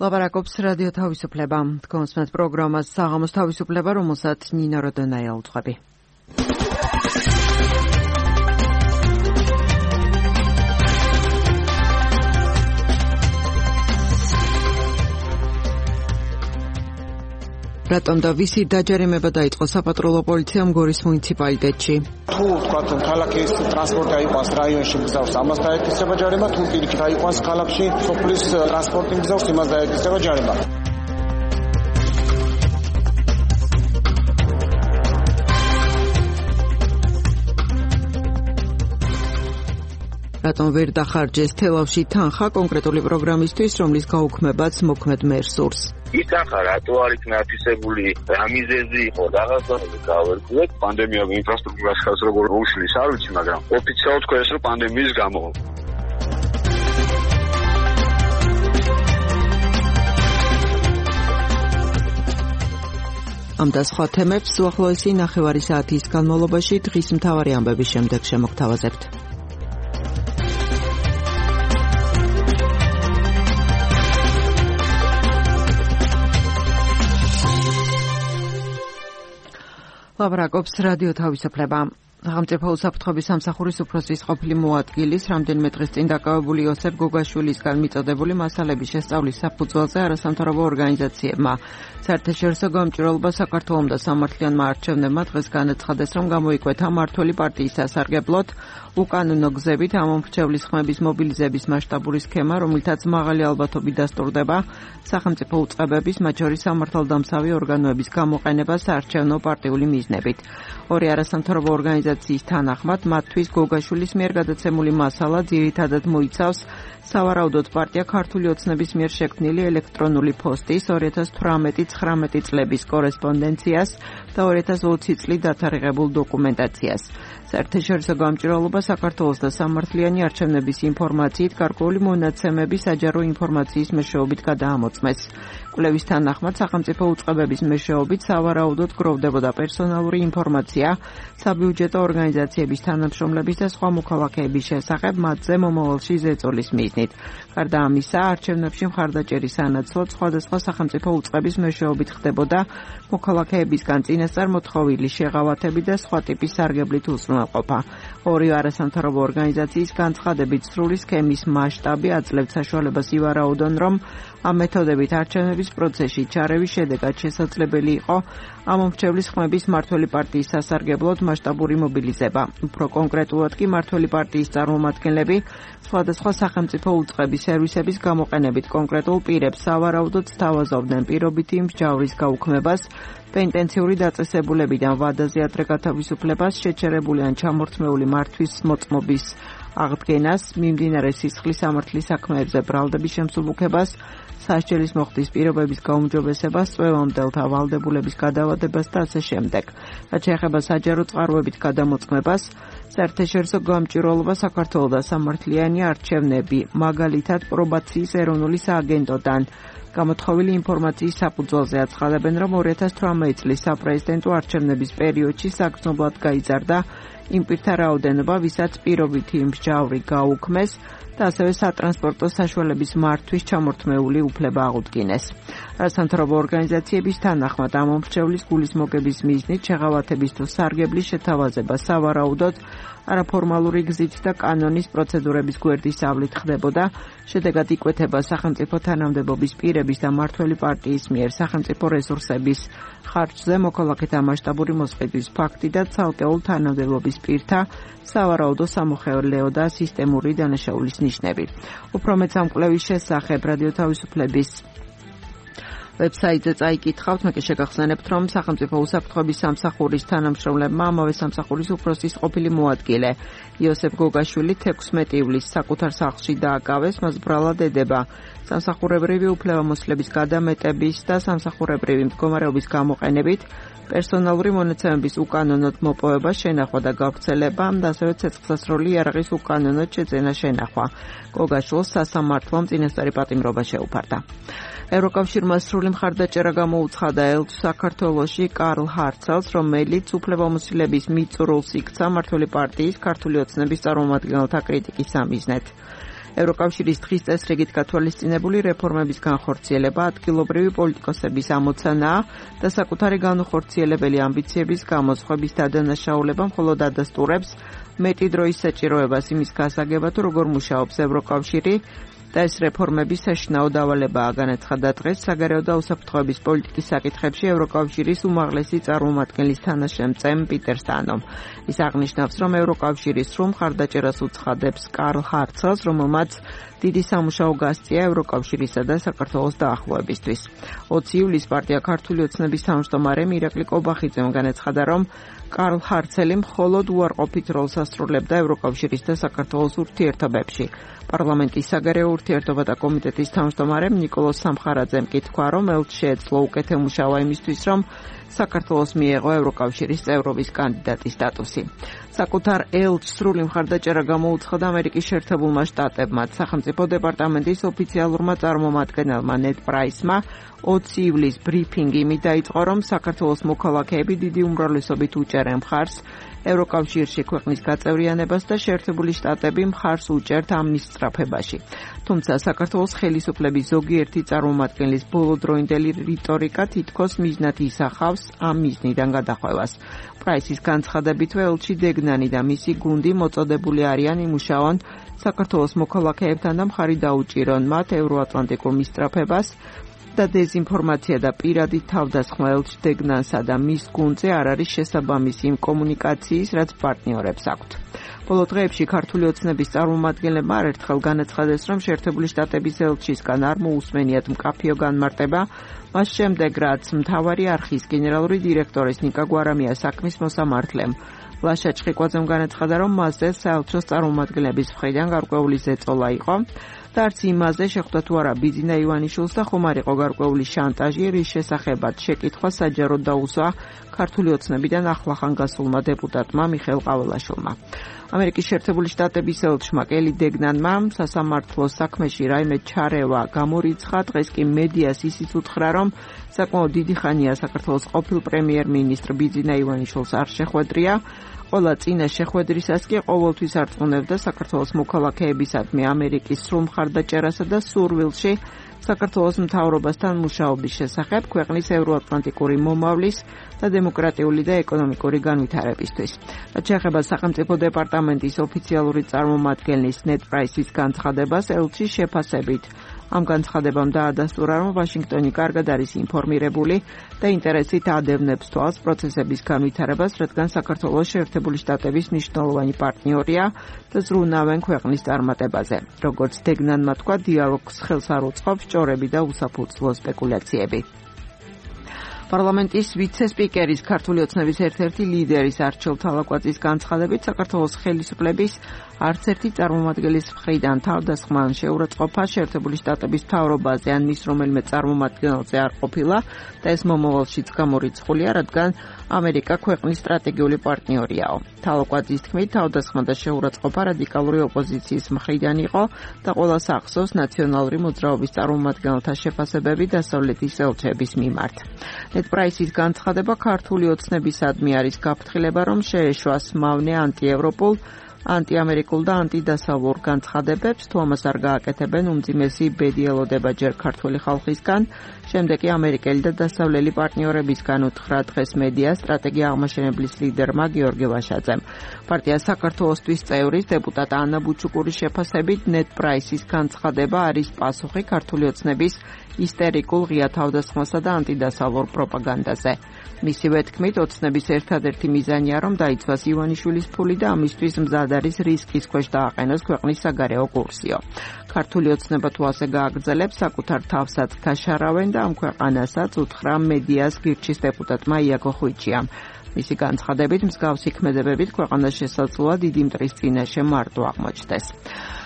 ლაპარაკობს რადიო თავისუფლება. Თქვენს პროგრამას საღამოს თავისუფლება, რომელსაც ნინო როდონაია უძღვები. რატომ და ვისი დაჯერიმება დაიწყო საპატრულო პოლიციამ გორის მუნიციპალიტეტში? თუ ვთქვათ, ქალაქის ტრანსპორტი აიყვანს რაიონში მგზავს, ამას დაეკისრება ჯარიმა, თუ პირიქით აიყვანს ქალაქში სოფლის ტრანსპორტი მგზავს, იმას დაეკისრება ჯარიმა. რატომ ვერ დახარჯეს თელავში თანხა კონკრეტული პროგრამისთვის, რომლის გაუქმებაც მოქმედ მერს სურს? ის თანხა რატო არ იქნა ათვისებული, რა მიზეზი იყო, რაღაცა გავერკვიეთ. პანდემია ინფრასტრუქტურას ხალხს როგორ უშლის, არ ვიცი, მაგრამ ოფიციალურად თქვენს რომ პანდემიის გამო. ამ და სხვა თემებს უახლოესი ნახევარი საათის განმავლობაში დღის მთავარი ამბების შემდეგ შემოგთავაზებთ. ლაპარაკობს რადიო თავისუფლება. სახელმწიფო უსაფრთხოების სამსახურის უფროსის ყოფილი მოადგილის რამდენიმე დღის წინ დაკავებული იოსებ გოგაშვილისგან მიწოდებული მასალების შესწავლის საფუძველზე არასამთავრობო ორგანიზაციებმა საერთაშორისო გამჭვირვალობა საქართველოს და სამართლიანმა არჩევნებმა დღეს განაცხადეს, რომ გამოიკვეთა მმართველი პარტიის სასარგებლოდ უკანონო გზებით ამომრჩევლის ხმების მობილიზების მასშტაბური სქემა, რომლითაც მაღალი ალბათობით დასტურდება სახელმწიფო უწყებების, მათ შორის სამართალდამცავი ორგანოების გამოყენება საარჩევნო პარტიული მიზნებით. ორი არასამთავრობო ორგანიზაციის თანახმად, მათთვის გოგაშვილის მიერ გადაცემული მასალა ძირითადად მოიცავს სავარაუდოდ პარტია ქართული ოცნების მიერ შექმნილი ელექტრონული პოსტის 2018-19 წლების კორესპონდენციას და 2020 წლით დათარიღებულ დოკუმენტაციას. საერთაშორისო გამჭვირვალობა საქართველოს და სამართლიანი არჩევნების ინფორმაციით გარკვეული მონაცემები საჯარო ინფორმაციის მეშვეობით გადაამოწმეს. კვლევის თანახმად სახელმწიფო უწყებების მეშვეობით სავარაუდოდ გროვდებოდა პერსონალური ინფორმაცია საბიუჯეტო ორგანიზაციების თანამშრომლების და სხვა მოქალაქეების შესახებ მათზე მომავალში ზეწოლის მიზნით. გარდა ამისა, არჩევნებში მხარდაჭერის სანაცვლოდ სხვადასხვა სახელმწიფო უწყების მეშვეობით ხდებოდა მოქალაქეებისგან წინასწარ მოთხოვილი შეღავათები და სხვა ტიპის სარგებლით უზრუნველყოფა. ორი არასამთავრობო ორგანიზაციის განცხადებით სრული სქემის მასშტაბი აძლევთ საშუალებას ივარაუდონ, რომ ამ მეთოდებით არჩევნების პროცესში ჩარევის შედეგად შესაძლებელი იყო ამომრჩევლის ხმების მმართველი პარტიის სასარგებლოდ მასშტაბური მობილიზება. უფრო კონკრეტულად კი მმართველი პარტიის წარმომადგენლები სხვადასხვა სახელმწიფო უწყების სერვისების გამოყენებით კონკრეტულ პირებს სავარაუდოდ სთავაზობდნენ პირობითი მსჯავრის გაუქმებას, პენტენციური დაწესებულებიდან ვადაზე ადრე გათავისუფლებას, შეჩერებული ან ჩამორთმეული მართვის მოწმობის აღდგენას, მიმდინარე სისხლის სამართლის საქმეებზე ბრალდების შემსუბუქებას, სასჯელის მოხდის პირობების გაუმჯობესებას, წვევამდელთა ვალდებულების გადავადებას და ასე შემდეგ. რაც შეეხება საჯარო წყაროებით გადამოწმებას, საერთაშორისო გამჭვირვალობა საქართველოს და სამართლიანი არჩევნები, მაგალითად პრობაციის ეროვნული სააგენტოდან გამოთხოვილი ინფორმაციის საფუძველზე აცხადებენ, რომ 2018 წლის საპრეზიდენტო არჩევნების პერიოდში საგრძნობლად გაიზარდა იმ პირთა რაოდენობა, ვისაც პირობითი მსჯავრი გაუქმეს და ასევე სატრანსპორტო საშუალების მართვის ჩამორთმეული უფლება აღუდგინეს. არასამთავრობო ორგანიზაციების თანახმად ამომრჩევლის გულის მოგების მიზნით შეღავათების თუ სარგებლის შეთავაზება სავარაუდოდ არაფორმალური გზით და კანონის პროცედურების გვერდისავლით ხდებოდა, შედეგად იკვეთება სახელმწიფო თანამდებობის პირების და მმართველი პარტიის მიერ სახელმწიფო რესურსების ხარჯზე მოქალაქეთა მასშტაბური მოსყიდვის ფაქტი და ცალკეულ თანამდებობის პირთა სავარაუდო სამოხელეო და სისტემური დანაშაულის ნიშნები. უფრო მეც ამ კვლევის შესახებ რადიო თავისუფლების ვებსაიტზე წაიკითხავთ, მე კი შეგახსენებთ, რომ სახელმწიფო უსაფრთხოების სამსახურის თანამშრომლებმა ამავე სამსახურის უფროსის ყოფილი მოადგილე იოსებ გოგაშვილი 16 ივლისს საკუთარ სახლში დააკავეს, მას ბრალად ედება სამსახურებრივი უფლებამოსილების გადამეტების და სამსახურებრივი მდგომარეობის გამოყენებით პერსონალური მონაცემების უკანონოდ მოპოვება, შენახვა და გავრცელება და ასევე ცეცხლსასროლი იარაღის უკანონოდ შეძენა შენახვა. გოგაშვილს სასამართლომ წინასწარი პატიმრობა შეუფარდა. ევროკავშირმა სრული მხარდაჭერა გამოუცხადა ელჩ საქართველოში კარლ ჰარცელს, რომელიც უფლებამოსილების მიწურულს იქცა მმართველი პარტიის ქართული ოცნების წარმომადგენელთა კრიტიკის სამიზნედ. ევროკავშირის დღის წესრიგით გათვალისწინებული რეფორმების განხორციელება ადგილობრივი პოლიტიკოსების ამოცანაა და საკუთარი განუხორციელებელი ამბიციების გამოსხვების დადანაშაულება მხოლოდ ადასტურებს მეტი დროის საჭიროებას იმის გასაგებად, თუ როგორ მუშაობს ევროკავშირი და ეს რეფორმების საშინაო დავალებაა, განაცხადა დღეს საგარეო და უსაფრთხოების პოლიტიკის საკითხებში ევროკავშირის უმაღლესი წარმომადგენლის თანაშემწემ პიტერ სტანომ. ის აღნიშნავს, რომ ევროკავშირი სრულ მხარდაჭერას უცხადებს კარლ ჰარცელს, რომელმაც დიდი სამუშაო გასწია ევროკავშირისა და საქართველოს დაახლოებისთვის. 20 ივლისს პარტია ქართული ოცნების თავმჯდომარე მირაკლი კობახიძემ განაცხადა, რომ კარლ ჰარცელი მხოლოდ უარყოფით როლს ასრულებდა ევროკავშირის და საქართველოს ურთიერთობებში. პარლამენტის საგარეო ურთიერთობათა კომიტეტის თავმჯდომარემ ნიკოლოზ სამხარაძემ კი თქვა, რომ ელჩს შეეძლო უკეთემუშავა იმისთვის, რომ საქართველოს მიეღო ევროკავშირის წევრობის კანდიდატის სტატუსი. საკუთარ ელჩს სრული მხარდაჭერა გამოუცხადა ამერიკის შეერთებულმა შტატებმა. სახელმწიფო დეპარტამენტის ოფიციალურმა წარმომადგენელმა ნედ პრაისმა 20 ივლისს ბრიფინგი იმით დაიწყო, რომ საქართველოს მოქალაქეები დიდი უმრავლესობით უჭერენ მხარს ევროკავშირში ქვეყნის გაწევრიანებას და შეერთებული შტატები მხარს უჭერთ ამ მის სწრაფებაში. თუმცა საქართველოს ხელისუფლების ზოგიერთი წარმომადგენლის ბოლოდროინდელი რიტორიკა თითქოს მიზნად ისახავს ამ მიზნიდან გადახვევას. პრაისის განცხადებითვე ელჩი დეგნანი და მისი გუნდი მოწოდებული არიან იმუშაონ საქართველოს მოქალაქეებთან და მხარი დაუჭირონ მათ ევროატლანტიკურ მისწრაფებას და დეზინფორმაცია და პირადი თავდასხმა ელჩ დეგნანსა და მის გუნდზე არ არის შესაბამისი იმ კომუნიკაციის, რაც პარტნიორებს აქვთ. ბოლო დღეებში ქართული ოცნების წარმომადგენლებმა არერთხელ განაცხადეს, რომ შეერთებული შტატების ელჩისგან არ მოусმენიათ მკაფიო განმარტება, მას შემდეგ რაც მთავარი არხის გენერალური დირექტორის ნიკა გვარამიას საქმის მოსამართლემ ლაშა ჩხიკვაძემ განაცხადა, რომ მასზე საელჩოს წარმომადგენლების მხრიდან გარკვეული ზეწოლა იყო და არც იმაზე შეხვდა თუ არა ბიძინა ივანიშვილს და ხომ არ იყო გარკვეული შანტაჟი, რის შესახებაც შეკითხვა საჯაროდ დაუსვა ქართული ოცნებიდან ახლახან გასულმა დეპუტატმა მიხეილ ყაველაშვილმა. ამერიკის შეერთებული შტატების ელჩმა კელი დეგნანმა სასამართლოს საქმეში რაიმე ჩარევა გამორიცხა. დღეს კი მედიას ისიც უთხრა, რომ საკმაოდ დიდი ხანია საქართველოს ყოფილ პრემიერ-მინისტრ ბიძინა ივანიშვილს არ შეხვედრია. ყველა წინა შეხვედრისას კი ყოველთვის არწმუნებდა საქართველოს მოქალაქეებისადმი ამერიკის სრულ მხარდაჭერასა და სურვილში საქართველოს მთავრობასთან მუშაობის შესახებ ქვეყნის ევროატლანტიკური მომავლის და დემოკრატიული და ეკონომიკური განვითარებისთვის. რაც შეეხება სახელმწიფო დეპარტამენტის ოფიციალური წარმომადგენლის ნედ პრაისის განცხადებას, ელჩის შეფასებით ამ განცხადებამ დაადასტურა, რომ ვაშინგტონი კარგად არის ინფორმირებული და ინტერესით ადევნებს თვალს პროცესების განვითარებას, რადგან საქართველოს შეერთებული შტატების მნიშვნელოვანი პარტნიორია და ზრუნავენ ქვეყნის წარმატებაზე. როგორც დეგნანმა თქვა, დიალოგს ხელს არ უწყობს ჭორები და უსაფუძვლო სპეკულაციები. პარლამენტის ვიცე-სპიკერის ქართული ოცნების ერთ-ერთი ლიდერის არჩილ თალაკვაძის განცხადებით, საქართველოს ხელისუფლების არც ერთი წარმომადგენლის მხრიდან თავდასხმა ან შეურაცხყოფა შეერთებული შტატების მთავრობაზე ან მის რომელიმე წარმომადგენელზე არ ყოფილა და ეს მომავალშიც გამორიცხულია, რადგან ამერიკა ქვეყნის სტრატეგიული პარტნიორიაო. თალაკვაძის თქმით, თავდასხმა და შეურაცხყოფა რადიკალური ოპოზიციის მხრიდან იყო და ყველას ახსოვს ნაციონალური მოძრაობის წარმომადგენელთა შეფასებები დასავლეთის ელჩების მიმართ. ნედ პრაისის განცხადება ქართული ოცნებისადმი არის გაფრთხილება, რომ შეეშვას მავნე ანტიევროპულ, ანტიამერიკულ და ანტიდასავლურ განცხადებებს, თუ ამას არ გააკეთებენ, უმძიმესი ბედი ელოდება ჯერ ქართული ხალხისგან, შემდეგ კი ამერიკელი და დასავლელი პარტნიორებისგან, უთხრა დღეს მედია სტრატეგია აღმაშენებლის ლიდერმა გიორგი ლაშაძემ. პარტია საქართველოსთვის წევრის დეპუტატ ანა ბუჩუკურის შეფასებით, ნედ პრაისის განცხადება არის პასუხი ქართული ოცნების ისტერიკულ ღია თავდასხმასა და ანტიდასავლურ პროპაგანდაზე. მისივე თქმით, ოცნების ერთადერთი მიზანია, რომ დაიცვას ივანიშვილის ფული და ამისთვის მზად არის რისკის ქვეშ დააყენოს ქვეყნის საგარეო კურსიო. ქართული ოცნება თუ ასე გააგრძელებს, საკუთარ თავსაც გაშარავენ და ამ ქვეყანასაც, უთხრა მედიას გირჩის დეპუტატმა იაკო ხვიჩიამ. მისი განცხადებით, მსგავსი ქმედებებით ქვეყანას შესაძლოა დიდი მტრის წინაშე მარტო აღმოჩნდეს.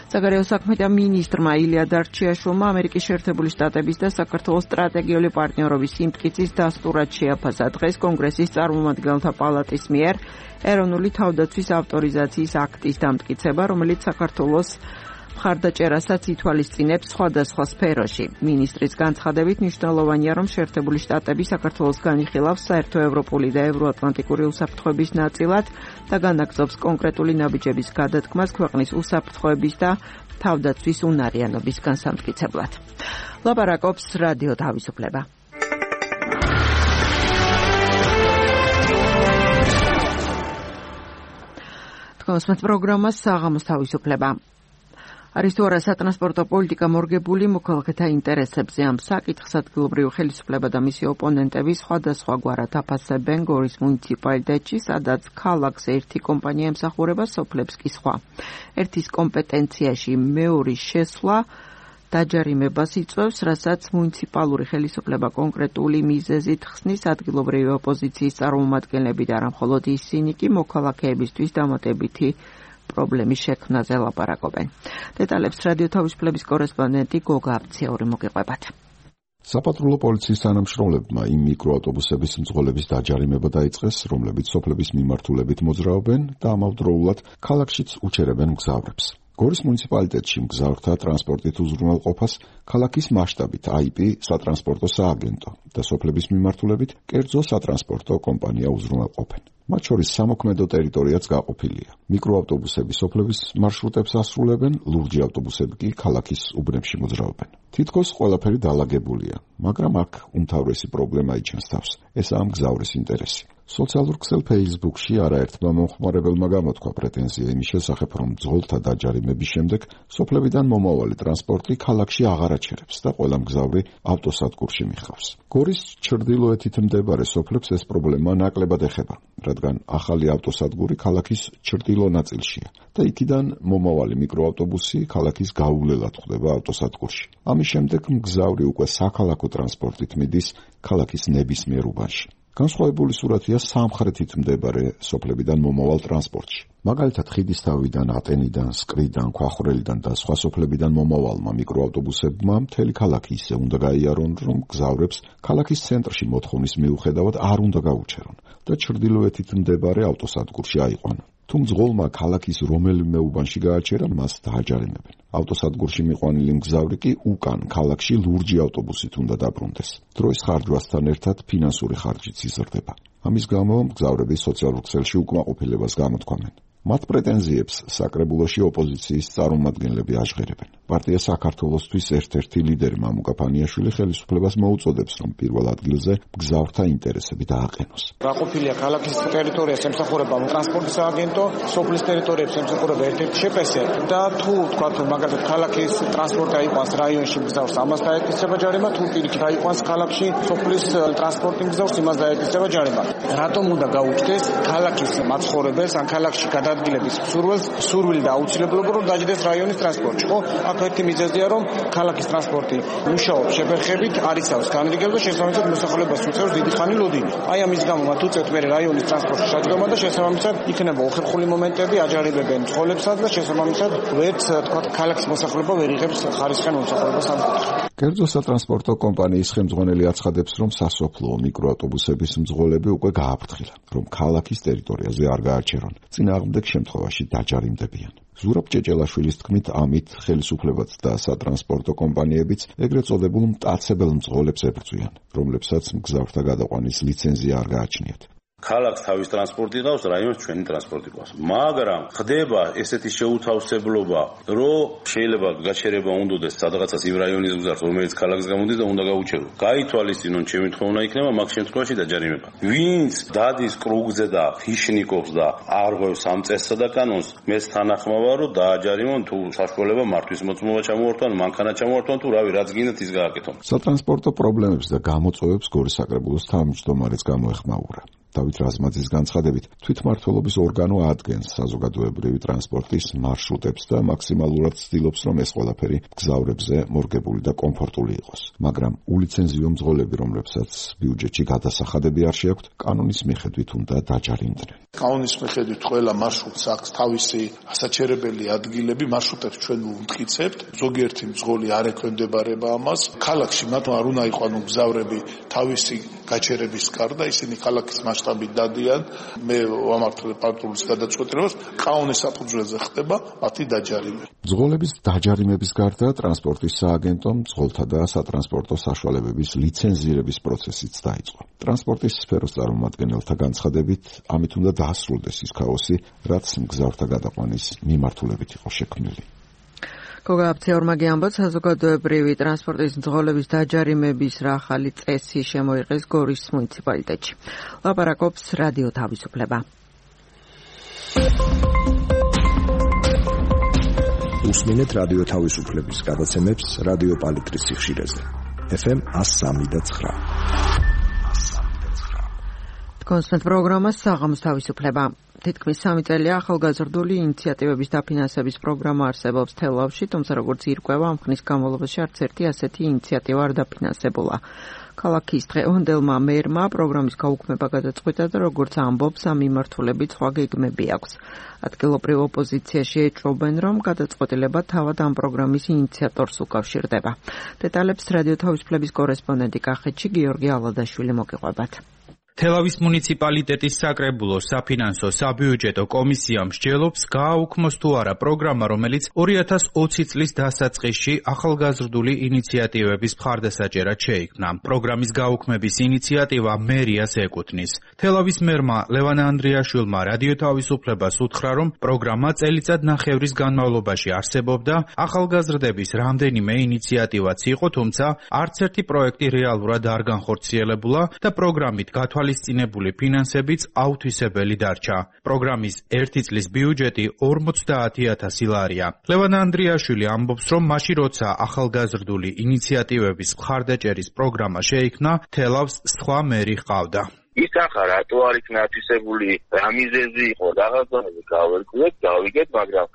საგარეო საქმეთა მინისტრმა ილია დარჩიაშვილმა ამერიკის შეერთებული შტატების და საქართველოს სტრატეგიული პარტნიორობის სიმტკიცის დასტურად შეაფასა დღეს კონგრესის წარმომადგენელთა პალატის მიერ ეროვნული თავდაცვის ავტორიზაციის აქტის დამტკიცება, რომელიც საქართველოს მხარდაჭერასაც ითვალისწინებს სხვადასხვა სფეროში. მინისტრის განცხადებით მნიშვნელოვანია, რომ შეერთებული შტატები საქართველოს განიხილავს საერთო ევროპული და ევროატლანტიკური უსაფრთხოების ნაწილად და განაგრძობს კონკრეტული ნაბიჯების გადადგმას ქვეყნის უსაფრთხოების და თავდაცვის უნარიანობის განსამტკიცებლად. ლაპარაკობს რადიო თავისუფლება. თქოს პროგრამას საღამოს თავისუფლება. არის თუ არა სატრანსპორტო პოლიტიკა მორგებული მოქალაქეთა ინტერესებზე ამ საკითხს ადგილობრივი ხელისუფლება და მისი ოპონენტები სხვადასხვაგვარად აფასებენ გორის მუნიციპალიტეტში, სადაც ქალაქს ერთი კომპანია ემსახურება, სოფლებს კი სხვა. ერთის კომპეტენციაში მეორის შესვლა დაჯარიმებას იწვევს, რასაც მუნიციპალური ხელისუფლება კონკრეტული მიზეზით ხსნის. ადგილობრივი ოპოზიციის წარმომადგენლები და არა მხოლოდ ისინი კი მოქალაქეებისთვის დამატებითი პრობლემის შექმნაზე ლაპარაკობენ. დეტალებს რადიო თავისუფლების კორესპონდენტი გოგა აბციური მოგიყვებათ. საპატრულო პოლიციის თანამშრომლებმა იმ მიკროავტობუსების მძღოლების დაჯარიმება დაიწყეს, რომლებიც სოფლების მიმართულებით მოძრაობენ და ამავდროულად ქალაქშიც უჩერებენ მგზავრებს. გორის მუნიციპალიტეტში მგზავრთა ტრანსპორტით უზრუნველყოფას ქალაქის მასშტაბით IP სატრანსპორტო სააგენტო და სოფლების მიმართულებით კერძო სატრანსპორტო კომპანია უზრუნველყოფენ. მათ შორის სამოქმედო ტერიტორიაც გაყოფილია. მიკროავტობუსები სოფლების მარშრუტებს ასრულებენ, ლურჯი ავტობუსები კი ქალაქის უბნებში მოძრაობენ. თითქოს ყველაფერი დაალაგებულია, მაგრამ აქ უმთავრესი პრობლემა იჩენს თავს. ესაა მგზავრის ინტერესი. სოციალურ ქსელ Facebook-ში არაერთმა მომხმარებელმა გამოთქვა პრეტენზია იმის შესახებ, რომ მძღოლთა დაჯარიმების შემდეგ სოფლებიდან მომავალი ტრანსპორტი ქალაქში აღარ აჩერებს და ყველა მგზავრი ავტოსადგურში მიხავს. გორის ჩრდილოეთით მდებარე სოფლებს ეს პრობლემა ნაკლებად ეხება, რადგან ახალი ავტოსადგური ქალაქის ჩრდილო ნაწილშია და იქიდან მომავალი მიკროავტობუსი ქალაქის გაუვლელად ხვდება ავტოსადგურში. ამის შემდეგ მგზავრი უკვე საქალაქო ტრანსპორტით მიდის ქალაქის ნებისმიერ უბანში. განსხვავებული სურათია სამხრეთით მდებარე სოფლებიდან მომავალ ტრანსპორტში. მაგალითად, ხიდისთავიდან, ატენიდან, სკრიდან, ქვახვრელიდან და სხვა სოფლებიდან მომავალმა მიკროავტობუსებმა მთელი ქალაქი ისე უნდა გაიარონ, რომ მგზავრებს ქალაქის ცენტრში მოთხოვნის მიუხედავად არ უნდა გაუჩერონ და ჩრდილოეთით მდებარე ავტოსადგურში აიყვანონ. თუ მძღოლმა ქალაქის რომელიმე უბანში გააჩერა, მას დააჯარიმებენ. ავტოსადგურში მიყვანილი მგზავრი კი უკან ქალაქში ლურჯი ავტობუსით უნდა დაბრუნდეს. დროის ხარჯვასთან ერთად ფინანსური ხარჯიც იზრდება. ამის გამო მგზავრები სოციალურ ქსელში უკმაყოფილებას გამოთქვამენ. მათ პრეტენზიებს საკრებულოში ოპოზიციის წარმომადგენლები აჟღერებენ. პარტია საქართველოსთვის ერთ-ერთი ლიდერი მამუკა ფანიაშვილი ხელისუფლებას მოუწოდებს, რომ პირველ ადგილზე მგზავრთა ინტერესები დააყენოს. გაყოფილია ქალაქის ტერიტორიას ემსახურება ტრანსპორტის სააგენტო, სოფლის ტერიტორიებს ემსახურება ერთ-ერთი შპს და თუ თქვათ, მაგალითად, ქალაქის ტრანსპორტი აიყვანს რაიონში მგზავრს, ამას დაეკისრება ჯარიმა, თუ პირიქით აიყვანს ქალაქში სოფლის ტრანსპორტი მგზავრს, იმას დაეკისრება ჯარიმა. რატომ უნდა გაუჩნდეს ქალაქის მაცხოვრებელს ან ქალაქში ადგილების სურვილი და აუცილებლობა რომ დაჯდეს რაიონის ტრანსპორტში, ხო? აქ ერთი მიზეზია, რომ ქალაქის ტრანსპორტი მუშაობს შეფერხებით, არ იცავს განრიგებს და შესაბამისად მოსახლეობას უწევს დიდი ხანი ლოდინი. აი ამის გამო მათ უწევთ მე რაიონის ტრანსპორტში შეჯდომა და შესაბამისად იქნება უხერხული მომენტები, აჯარებებენ მძღოლებსაც და შესაბამისად ვერც თქვა ქალაქის მოსახლეობა ვერ იღებს ხარისხიან მომსახურებას ამ კუთხით. კერძო სატრანსპორტო კომპანიის ხელმძღვანელი აცხადებს, რომ სასოფლო მიკროავტობუსების მძღოლები უკვე გააფრთხილა, რომ ქალაქის ტერიტორიაზე არ გააჩერონ. წინააღმდეგ შემთხვევაში დაჯარიმდებიან. ზურაბ ჭეჭელაშვილის თქმით, ამით ხელისუფლებაც და სატრანსპორტო კომპანიებიც ეგრეთ წოდებულ მტაცებელ მძღოლებს ებრძვიან, რომლებსაც მგზავრთა გადაყვანის ლიცენზია არ გააჩნიათ. ქალაქს თავის ტრანსპორტი ყავს, რაიონს ჩვენი ტრანსპორტი ყავს. მაგრამ ხდება ესეთი შეუთავსებლობა, რომ შეიძლება გაჩერება უნდადეს სადღაცას იმ რაიონის მგზავრს, რომელიც ქალაქს გამოდის და უნდა გაუჩერო. გაითვალისწინონ, ჩემი თხოვნა იქნება მაგ შემთხვევაში დაჯარიმება. ვინც დადის კრუგზე და ფიშნიკობს და არღვევს ამ წესსა და კანონს, მეც თანახმა ვარ, რომ დააჯარიმონ, თუ საშუალება მართვის მოწმობა ჩამოართვან, მანქანა ჩამოართვან, თუ რავი, რაც გინდათ ის გააკეთონ. სატრანსპორტო პრობლემებს და გამოწვევებს გორის საკრებულოს თავმჯდომარეც გამოეხმაურა. დავით რაზმაძის განცხადებით, თვითმმართველობის ორგანო ადგენს საზოგადოებრივი ტრანსპორტის მარშრუტებს და მაქსიმალურად ცდილობს, რომ ეს ყველაფერი მგზავრებზე მორგებული და კომფორტული იყოს. მაგრამ ულიცენზიო მძღოლები, რომლებსაც ბიუჯეტში გადასახადები არ შეაქვთ, კანონის მიხედვით უნდა დაჯარიმდნენ. კანონის მიხედვით ყველა მარშრუტს აქვს თავისი ასაჩერებელი ადგილები, მარშრუტებს ჩვენ ვმტკიცებთ. ზოგიერთი მძღოლი არ ექვემდებარება ამას. ქალაქში მათ არ უნდა იყვანო მგზავრები თავისი გაჩერების გარდა ისინი ქალაქის მასშტაბით დადიან. მე ვამართლებ პატრულის გადაწყვეტილებას, კაუნის საფუძველზე ხდება მათი დაჯარიმება. მძღოლების დაჯარიმების გარდა ტრანსპორტის სააგენტომ მძღოლთა და სატრანსპორტო საშუალებების ლიცენზირების პროცესიც დაიწყო. ტრანსპორტის სფეროს წარმომადგენელთა განცხადებით, ამით უნდა დაასრულდეს ის ქაოსი, რაც მგზავრთა გადაყვანის მიმართულებით იყო შექმნილი. გოგა აფცეორმაგი ამბობს, საზოგადოებრივი ტრანსპორტის მძღოლების დაჯარიმების რა ახალი წესი შემოიღეს გორის მუნიციპალიტეტში. ლაპარაკობს რადიო თავისუფლება. უსმინეთ რადიო თავისუფლების გადაცემებს რადიო პალიტრის სიხშირეზე. FM 103.9. კონსტანტ პროგრამა საღამოს თავისუფლება. თითქმის 3 წელია ახალგაზრდული ინიციატივების დაფინანსების პროგრამა არსებობს თელავში, თუმცა როგორც ირკვევა, ამ ხნის განმავლობაში არც ერთი ასეთი ინიციატივა არ დაფინანსებულა. ქალაქის დღევანდელმა მერმა პროგრამის გაუქმება გადაწყვიტა და როგორც ამბობს, ამ მიმართულებით სხვა გეგმები აქვს. ადგილობრივ ოპოზიციაში ეჭვობენ, რომ გადაწყვეტილება თავად ამ პროგრამის ინიციატორს უკავშირდება. დეტალებს რადიო თავისუფლების კორესპონდენტი კახეთში გიორგი ალადაშვილი მოგიყვებათ. თელავის მუნიციპალიტეტის საკრებულო საფინანსო საბიუჯეტო კომისია მსჯელობს გააუქმოს თუ არა პროგრამა, რომელიც 2020 წლის დასაწყისში ახალგაზრდული ინიციატივების მხარდასაჭერად შეიქმნა. პროგრამის გაუქმების ინიციატივა მერიას ეკუთვნის. თელავის მერმა ლევან ანდრიაშვილმა რადიო თავისუფლებას უთხრა, რომ პროგრამა წელიწად ნახევრის განმავლობაში არსებობდა, ახალგაზრდების რამდენიმე ინიციატივაც იყო, თუმცა არც ერთი პროექტი რეალურად არ განხორციელებულა და პროგრამით გათვალისწინებული ფინანსებიც აუთვისებელი დარჩა. პროგრამის ერთი წლის ბიუჯეტი 50,000 ლარია. ლევან ანდრიაშვილი ამბობს, რომ მაშინ როცა ახალგაზრდული ინიციატივების მხარდაჭერის პროგრამა შეიქმნა, თელავს სხვა მერი ჰყავდა. ის ახლა რატო არ იქნა ათვისებული, რა მიზეზი იყო, რაღაცნაირად გავერკვიეთ, გავიგეთ, მაგრამ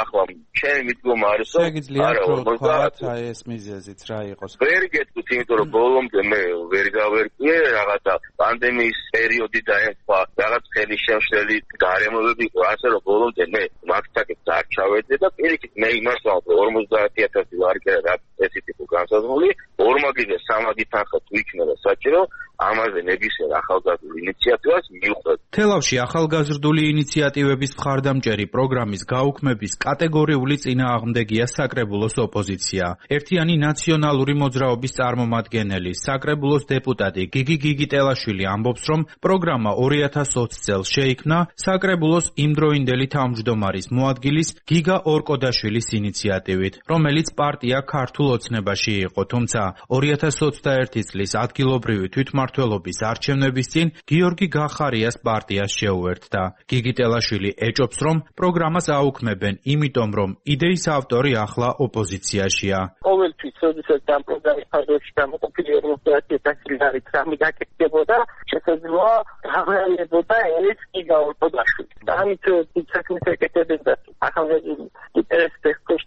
ახლა ჩემი მიდგომა არის, რომ შეგიძლიათ ვთქვათ, ეს მიზეზიც რა იყოს. ვერ გეტყვით, იმიტომ რომ ბოლომდე მე ვერ გავერკვიე, რაღაცა პანდემიის პერიოდი დაემხვა, რაღაც ხელისშემშლელი გარემოებები იყო, ასე რომ ბოლომდე მე მაგთაკებს არ ჩავეძე და პირიქით მე იმას ვამბობ, 50,000 ლარი რა ესეთი იყო განსაზღვრული, ორმაგიდე სამაგი თანხა თუ იქნება საჭირო, ამაზე ნებისმიერ ახალგაზრდულ ინიციატივას მივხვდეთ. თელავში ახალგაზრდული ინიციატივების მხარდამჭერი პროგრამის გაუქმების კატეგორიული წინააღმდეგია საკრებულოს ოპოზიცია. ერთიანი ნაციონალური მოძრაობის წარმომადგენელი, საკრებულოს დეპუტატი გიგი გიგიტელაშვილი ამბობს, რომ პროგრამა 2020 წელს შეიქმნა საკრებულოს იმდროინდელი თავმჯდომარის მოადგილის გიგა ორკოდაშვილის ინიციატივით, რომელიც პარტია ქართულ ოცნებაში იყო, თუმცა 2021 წლის ადგილობრივი თვითმმართველობის არჩევნების წინ გიორგი გახარიას პარტიას შეუერთდა. გიგიტელაშვილი ეჭობს, რომ პროგრამას აუქმებენ, იმიტომ რომ იდეის ავტორი ახლა ოპოზიციაშია. ყოველთვის როდესაც ამ პროგრამის ფარგლებში გამოყოფილი 50,000 ლარით რამე გაკეთდებოდა, შესაძლოა აღრიალებოდა ეს გიგა ორკოდაშვილი. ამით საქმეს ეკეთებენ და ახალგაზრდული ინტერესებს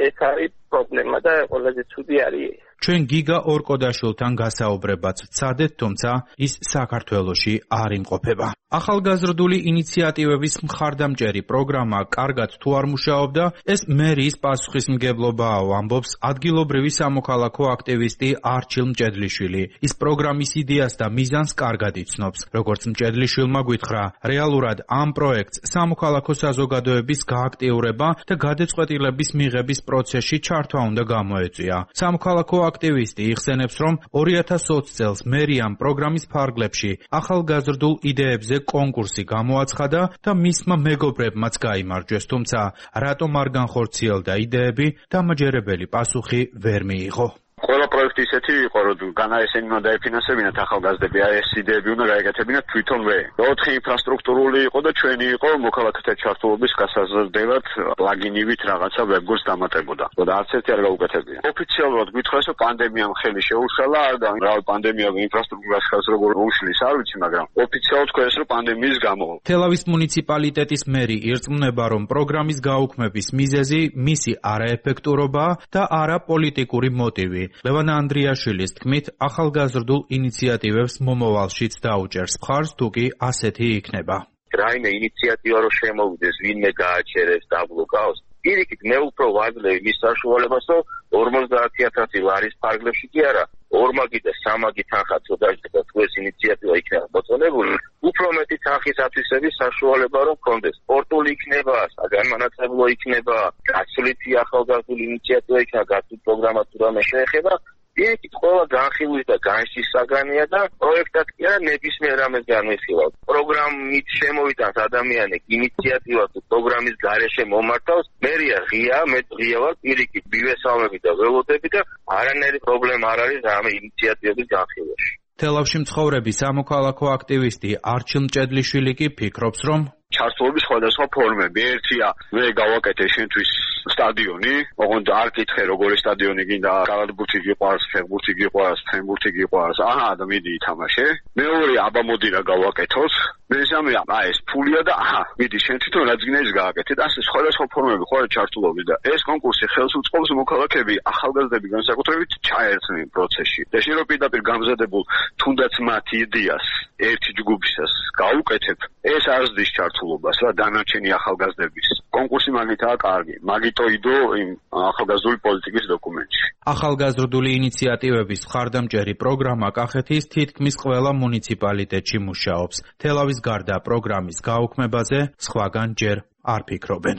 ეს არის პრობლემა და ყველაზე ცუდი არის. ჩვენ გიგა ორკოდაშვილთან გასაუბრებაც ვცადეთ, თუმცა ის საქართველოში არ იმყოფება. ახალგაზრდული ინიციატივების მხარდამჭერი პროგრამა კარგად თუ არ მუშაობდა, ეს მერიის პასუხისმგებლობაა, ამბობს ადგილობრივი სამოქალაქო აქტივისტი არჩილ მჭედლიშვილი. ის პროგრამის იდეას და მიზანს კარგად იცნობს. როგორც მჭედლიშვილმა გითხრა, რეალურად ამ პროექტს სამოქალაქო საზოგადოების გააქტიურება და გადაწყვეტილების მიღების პროცესში ჩართვა უნდა გამოეწვია. სამოქალაქო აქტივისტი იხსენებს, რომ 2020 წელს მერიამ პროგრამის ფარგლებში ახალგაზრდულ იდეებზე კონკურსი გამოაცხადა და მისმა მეგობრებმაც გაიმარჯვეს, თუმცა რატომ არ განხორციელდა იდეები, დამაჯერებელი პასუხი ვერ მიიღო. ყველა პროექტი ისეთი იყო, რომ განაესენი უნდა დაეფინანსებინათ ახალგაზრდები, ეს იდეები უნდა გაეკეთებინათ თვითონვე. 4 ინფრასტრუქტურული იყო და ჩვენი იყო მოქალაქეთა ჩართულობის გასაზრდელად პლაგინივით რაღაცა ვებგვერდს დამატებოდა. და არც ერთი არ გაუკეთებია. ოფიციალურად გითხრას, რომ პანდემიამ ხელი შეუშალა და რა პანდემია ინფრასტრუქტურას ხალხს როგორ უშლის არ ვიცი, მაგრამ ოფიციალურად თქვენს რომ პანდემიის გამო. თელავის მუნიციპალიტეტის მერი ირწმუნება, რომ პროგრამის გაუქმების მიზეზი მისი არაეფექტურობაა და არა პოლიტიკური მოტივი. ლევან ანდრიაშვილის თქმით, ახალგაზრდულ ინიციატივებს მომავალშიც დაუჭერს მხარს, თუ კი ასეთი იქნება. რაიმე ინიციატივა რო შემოვიდეს, ვინმე გააჩერებს, დაბლოკავს, პირიქით მე უფრო ვაძლევ მის საშუალებას, რომ 50,000 ლარის ფარგლებში კი არა, 2 და 3 თანხა წოდაჭდა და თუ ეს ინიციატივა იქნება მოწონებული, უფრო მეტი თანხის ათვისების საშუალება რომ კონდეს. სპორტული იქნება, საგანმანათლებლო იქნება, გასვლითი ახალგაზრდული ინიციატივა იქნება, გასვლით პროგრამა თუ რამე შეეხება, პირიქით ყველა განხილვის და განშის საგანია და პროექტად კი არა ნებისმიერ რამეს განვიხილავთ. პროგრამით შემოვიტანს ადამიანი ინიციატივა თუ პროგრამის გარეშე მომართავს, მერია ღია, მე ღია ვარ, პირიქით ბივესალმები და ველოდები და არანაირი პრობლემა არ არის ამ ინიციატივების განხილვაში. თელავში მცხოვრები სამოქალაქო აქტივისტი არჩილ მჭედლიშვილი კი ფიქრობს, რომ ჩართულობის სხვადასხვა ფორმები. ერთია, მე გავაკეთე შენთვის სტადიონი, ოღონდ არ კითხე როგორი სტადიონი გინდა, კალათბურთი გიყვარს, ფეხბურთი გიყვარს, ფრენბურთი გიყვარს, აჰა და მიდი ითამაშე. მეორე, აბა მოდი რა გავაკეთოთ. მესამე, ეს ფულია და აჰა, მიდი შენ თვითონ რაც გინდა ის გააკეთე და ასე სხვადასხვა ფორმები ხო არის ჩართულობის და ეს კონკურსი ხელს უწყობს მოქალაქეები, ახალგაზრდები განსაკუთრებით ჩაერთნენ პროცესში. და შენ რო პირდაპირ გამზადებულ თუნდაც მათ იდეას ერთი ჯგუფისას გაუკეთებ, ეს არ ზრდის ჩართულობას რა დანარჩენი ახალგაზრდების. კონკურსი მაგითაა კარგი. მაგიტოიდო იმ ახალგაზრდული პოლიტიკის დოკუმენტში. ახალგაზრდული ინიციატივების მხარდამჭერი პროგრამა კახეთის თითქმის ყველა მუნიციპალიტეტში მუშაობს. თელავის გარდა პროგრამის გაუქმებაზე სხვაგან ჯერ არ ფიქრობენ.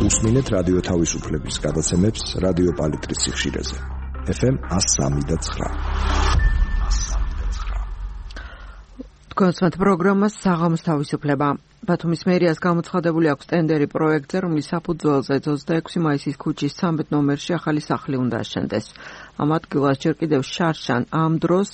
უსმინეთ რადიო თავისუფლების გადაცემებს რადიო პალიტრის სიხშირეზე. FM 103.9. კონსვენთ პროგრამას საღამოს თავისუფლება. ბათუმის მერიას გამოცხადებული აქვს ტენდერი პროექტზე, რომლის საფუძველზე 26 მაისის ქუჩის 13 ნომერში ახალი სახლი უნდა აშენდეს. ამ ადგილას ჯერ კიდევ შარშან ამ დროს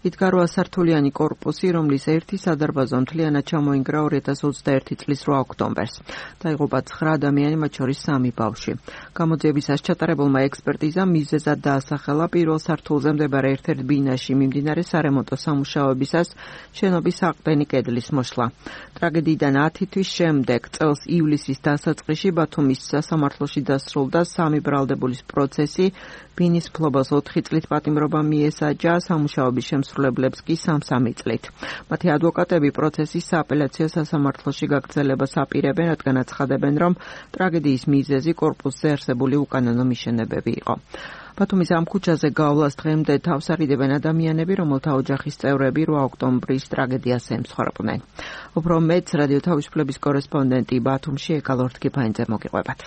იდგა 8 სართულიანი კორპუსი, რომლის ერთი სადარბაზო მთლიანად ჩამოინგრა 2021 წლის 8 ოქტომბერს. დაიღუპა 9 ადამიანი, მათ შორის 3 ბავშვი. გამოძიებისას ჩატარებულმა ექსპერტიზამ მიზეზად დაასახელა პირველ სართულზე მდებარე ერთ-ერთ ბინაში მიმდინარე სარემონტო სამუშაოებისას შენობის აყდენი კედლის მოშლა. ტრაგედიიდან 10 თვის შემდეგ წელს ივლისის დასაწყისში ბათუმის სასამართლოში დასრულდა 3 ბრალდებულის პროცესი. ბინის ფლობას 4 წლით პატიმრობა მიესაჯა, სამუშაოების შემსრულებლებს კი 3 წლით. მათი ადვოკატები პროცესის სააპელაციო სასამართლოში გაგრძელებას აპირებენ, რადგან აცხადებენ, რომ ტრაგედიის მიზეზი კორპუსზე არსებული უკანონო მიშენებები იყო. ბათუმის ამ ქუჩაზე გავლას დღემდე თავს არიდებენ ადამიანები, რომელთა ოჯახის წევრები 8 ოქტომბრის ტრაგედიას ემსხვერპლნენ. უფრო მეტს რადიო თავისუფლების კორესპონდენტი ბათუმში ეკალორთკიფაინძე მოგიყვებათ.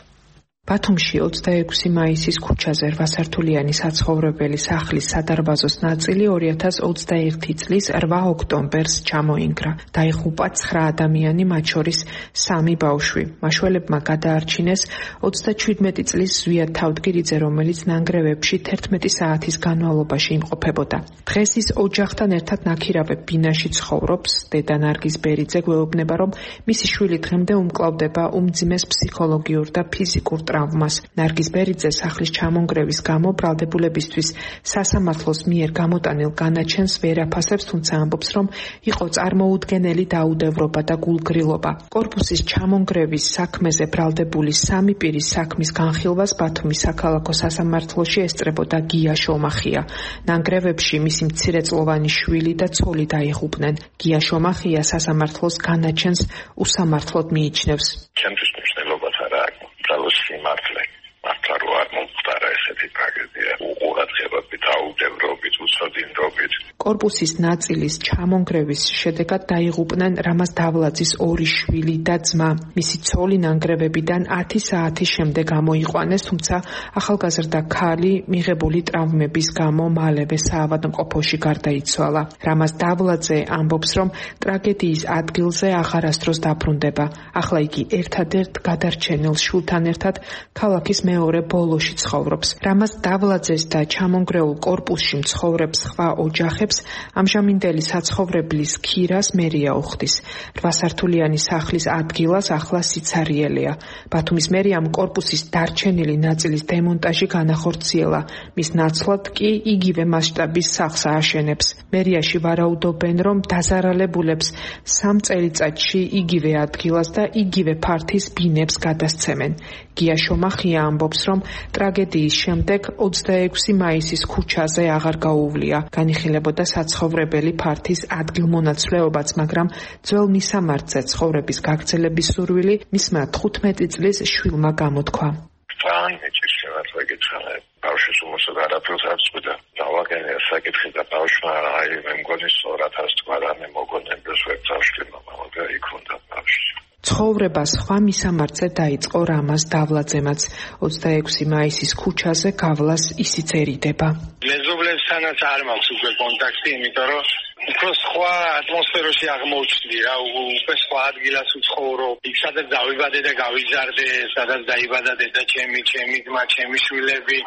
ბათუმში 26 მაისის ქუჩაზე 8 სართულიანი საცხოვრებელი სახლის სადარბაზოს ნაწილი 2021 წლის 8 ოქტომბერს ჩამოინგრა. დაიღუპა 9 ადამიანი, მათ შორის 3 ბავშვი. მაშველებმა გადაარჩინეს 37 წლის ზვია თავდგირიძე, რომელიც ნანგრევებში 11 საათის განმავლობაში იმყოფებოდა. დღეს ის ოჯახთან ერთად ნაქირავებ ბინაში ცხოვრობს. დედა ნარგიზ ბერიძე გვეუბნება, რომ მისი შვილი დღემდე უმკლავდება უმძიმეს ფსიქოლოგიურ და ფიზიკურ ტრავმას. ნარგიზ ბერიძე სახლის ჩამონგრევის გამო ბრალდებულებისთვის სასამართლოს მიერ გამოტანილ განაჩენს ვერ აფასებს, თუმცა ამბობს, რომ იყო წარმოუდგენელი დაუდევრობა და გულგრილობა. კორპუსის ჩამონგრევის საქმეზე ბრალდებული 3 პირის საქმის განხილვას ბათუმის საქალაქო სასამართლოში ესწრებოდა გია შომახია. ნანგრევებში მისი მცირეწლოვანი შვილი და ცოლი დაიღუპნენ. გია შომახია სასამართლოს განაჩენს უსამართლოდ მიიჩნევს. ჩემთვის მნიშვნელობას არ აქვს. ძალოს სიმართლე. მართლა რო არ მომხდარა ესეთი ტრაგედია. უყურადღებობით, აუდევრობით, უცოდინდობით. კორპუსის ნაწილის ჩამონგრევის შედეგად დაიღუპნენ რამაზ დავლაძის 2 შვილი და ძმა. მისი ცოლი ნანგრევებიდან 10 საათის შემდეგ გამოიყვანეს, თუმცა ახალგაზრდა ქალი მიღებული ტრავმების გამო მალევე საავადმყოფოში გარდაიცვალა. რამაზ დავლაძე ამბობს, რომ ტრაგედიის ადგილზე აღარასდროს დაბრუნდება. ახლა იგი ერთადერთ გადარჩენილ შვილთან ერთად ქალაქის მეორე ბოლოში ცხოვრობს. რამაზ დავლაძეს და ჩამონგრეულ კორპუსში მცხოვრებ სხვა ოჯახებს ამჟამინდელი საცხოვრებლის ქირას მერია უხდის. 8 სართულიანი სახლის ადგილას ახლა სიცარიელია. ბათუმის მერიამ კორპუსის დარჩენილი ნაწილის დემონტაჟი განახორციელა. მის ნაცვლად კი იგივე მასშტაბის სახლს ააშენებს. მერიაში ვარაუდობენ, რომ დაზარალებულებს 3 წელიწადში იგივე ადგილას და იგივე ფართის ბინებს გადასცემენ. გია შომახია ამბობს, რომ ტრაგედიის შემდეგ 26 მაისის ქუჩაზე აღარ გაუვლია. განიხილებოდა ეკუთვნოდა საცხოვრებელი ფართის ადგილმონაცვლეობაც, მაგრამ ძველ მისამართზე ცხოვრების გაგრძელების სურვილი მისმა 15 წლის შვილმა გამოთქვა. ბავშვის უმოსად არაფერს არ წვიდა. დავაგენია საკითხი და ბავშვმა მე მგონი სწორადაც თქვა და მე მოგონებდეს ვეცავშლი მაგრამ იქ უნდა ბავშვი. ცხოვრება სხვა მისამართზე დაიწყო რამაზ დავლაძემაც. 26 მაისის ქუჩაზე გავლას ისიც ერიდება. მეზობლებსთანაც არ მაქვს უკვე კონტაქტი, იმიტომ რომ უფრო სხვა ატმოსფეროში აღმოჩნდი რა, უკვე სხვა ადგილას ვცხოვრობ. იქ სადაც დავიბადე და გავიზარდე, სადაც დაიბადა დედა ჩემი, ჩემი ძმა, ჩემი შვილები.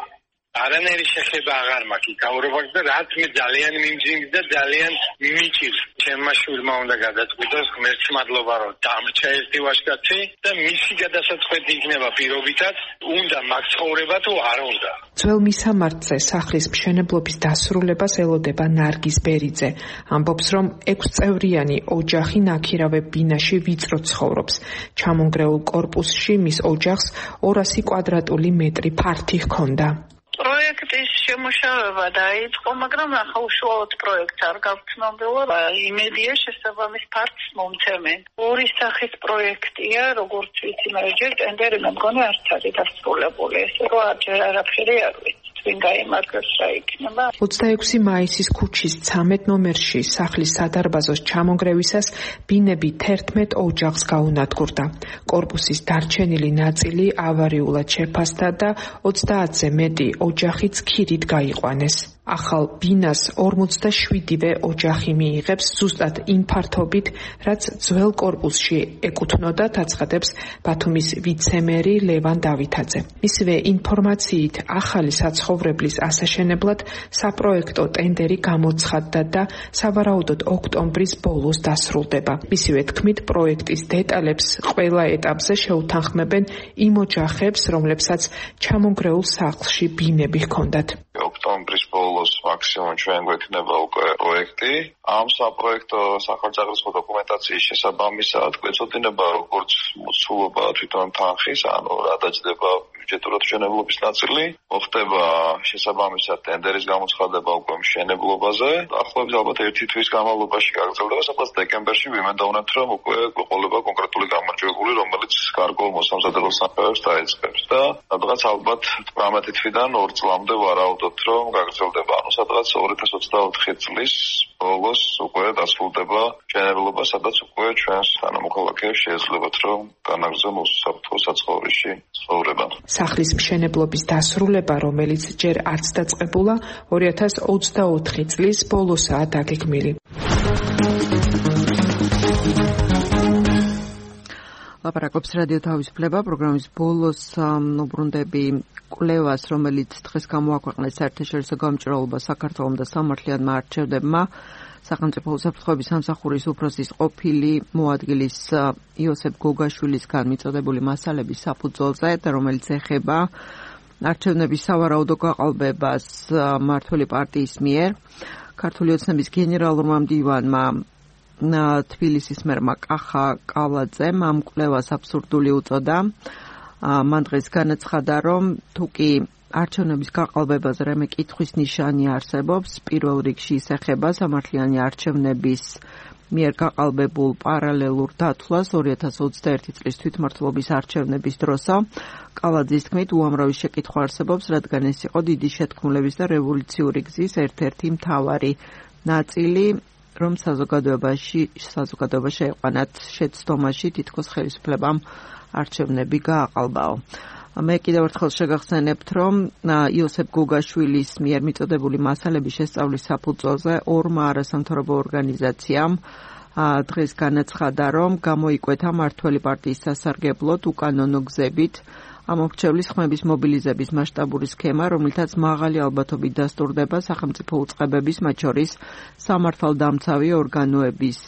არანაირი შეხება აღარ მაქვს გავრობაც და რაც მე ძალიან მიმძიმს და ძალიან მიჭირს. ჩემმა შვილმა უნდა გადაწყვიტოს, ღმერთს მადლობა რომ დამრჩა ერთი ვაჟკაცი და მისი გადასაწყვეტი იქნება პირობითად, უნდა მაგ ცხოვრება თუ არ უნდა. ძველ მისამართზე სახლის მშენებლობის დასრულებას ელოდება ნარგიზ ბერიძე. ამბობს, რომ 6 წევრიანი ოჯახი ნაქირავე ბინაში ვიწრო ცხოვრობს. ჩამონგრეულ კორპუსში მის ოჯახს 200 კვადრატული მეტრი ფართი ჰქონდა. პროექტის შემუშავება დაიწყო, მაგრამ ახლა უშუალოდ პროექტს არ გავცნობილა. იმედია შესაბამის ფართს მომცემენ. ორი სახის პროექტია, როგორც ვიცი, მაგრამ ჯერ ტენდერი მე მგონი არც არის დასრულებული. ესე რომ არაფერი არ ვიცი. 26 მაისის ქუჩის 13 ნომერში სახლის სადარბაზოს ჩამონგრევისას ბინები 11 ოჯახს გაუნადგურდა. კორპუსის დარჩენილი ნაწილი ავარიულად შეფასდა და 30-ზე მეტი ოჯახიც ქირით გაიყვანეს. ახალ ბინას 47-ვე ოჯახი მიიღებს ზუსტად იმ ფართობით, რაც ძველ კორპუსში ეკუთვნოდა, აცხადებს ბათუმის ვიცე-მერი ლევან დავითაძე. მისივე ინფორმაციით, ახალი საცხოვრებლის ასაშენებლად საპროექტო ტენდერი გამოცხადდა და სავარაუდოდ ოქტომბრის ბოლოს დასრულდება. მისივე თქმით, პროექტის დეტალებს ყველა ეტაპზე შეუთანხმებენ იმ ოჯახებს, რომლებსაც ჩამონგრეულ სახლში ბინები ჰქონდათ. ოქტომბრის ბოლოს მაქსიმუმ ჩვენ გვექნება უკვე პროექტი. ამ საპროექტო სახელმწიფო დოკუმენტაციის შესაბამისად გვეწოდინება როგორც მოცულობა თვითონ თანხის, ანუ რა დაჯდება ბიუჯეტურად მშენებლობის ნაწილი, მოხდება შესაბამისად ტენდერის გამოცხადება უკვე მშენებლობაზე. ახლობის ალბათ ერთი თვის განმავლობაში გაგრძელდება, სადაც დეკემბერში ვიმედოვნებთ, რომ უკვე გვეყოლება კონკრეტული გამარჯვებული, რომელიც გარკვეულ მოსამზადებელ სამუშაოებს დაიწყებს და სადღაც ალბათ 18 თვიდან 2 წლამდე ვარაუდობთ, რომ გაგრძელდება. ანუ სადღაც 2024 წლის ბოლოს უკვე დასრულდება მშენებლობა, სადაც უკვე ჩვენს თანამოქალაქეებს შეეძლებათ, რომ განაგრძონ უსაფრთხო საცხოვრისში ცხოვრება. სახლის მშენებლობის დასრულება, რომელიც ჯერ არც დაწყებულა, 2024 წლის ბოლოსაა დაგეგმილი. ლაპარაკობს რადიო თავისუფლება პროგრამის ბოლოს უბრუნდები კვლევას, რომელიც დღეს გამოაქვეყნეს საერთაშორისო გამჭრელობა საქართველოს და სამართლიანმა არჩევნებმა. სახელმწიფო უსაფრთხოების სამსახურის უფროსის ყოფილი მოადგილის იოსებ გოგაშვილისგან მიწოდებული მასალების საფუძველზე, რომელიც ეხება არჩევნების სავარაუდო გაყალბებას მმართველი პარტიის მიერ. ქართული ოცნების გენერალურმა მდივანმა თბილისის მერმა კახა კალაძემ ამ კვლევას აბსურდული უწოდა. მან დღეს განაცხადა, რომ თუკი არჩევნების გაყალბებაზე რამე კითხვის ნიშანი არსებობს, პირველ რიგში ის ეხება სამართლიანი არჩევნების მიერ გაყალბებულ პარალელურ დათვლას 2021 წლის თვითმმართველობის არჩევნების დროსა. კალაძის თქმით, უამრავი შეკითხვა არსებობს, რადგან ეს იყო დიდი შეთქმულების და რევოლუციური გზის ერთ-ერთი მთავარი ნაწილი, რომ საზოგადოება შეეყვანათ შეცდომაში თითქოს ხელისუფლებამ არჩევნები გააყალბაო. მე კიდევ ერთხელ შეგახსენებთ, რომ იოსებ გოგაშვილის მიერ მიწოდებული მასალების შესწავლის საფუძველზე ორმა არასამთავრობო ორგანიზაციამ დღეს განაცხადა, რომ გამოიკვეთა მმართველი პარტიის სასარგებლოდ უკანონო გზებით ამორჩევლის ხმების მობილიზების მასშტაბური სქემა, რომელთაც მაღალი ალბათობით დასტურდება სახელმწიფო უწყებების, მათ შორის სამართალდამცავი ორგანოების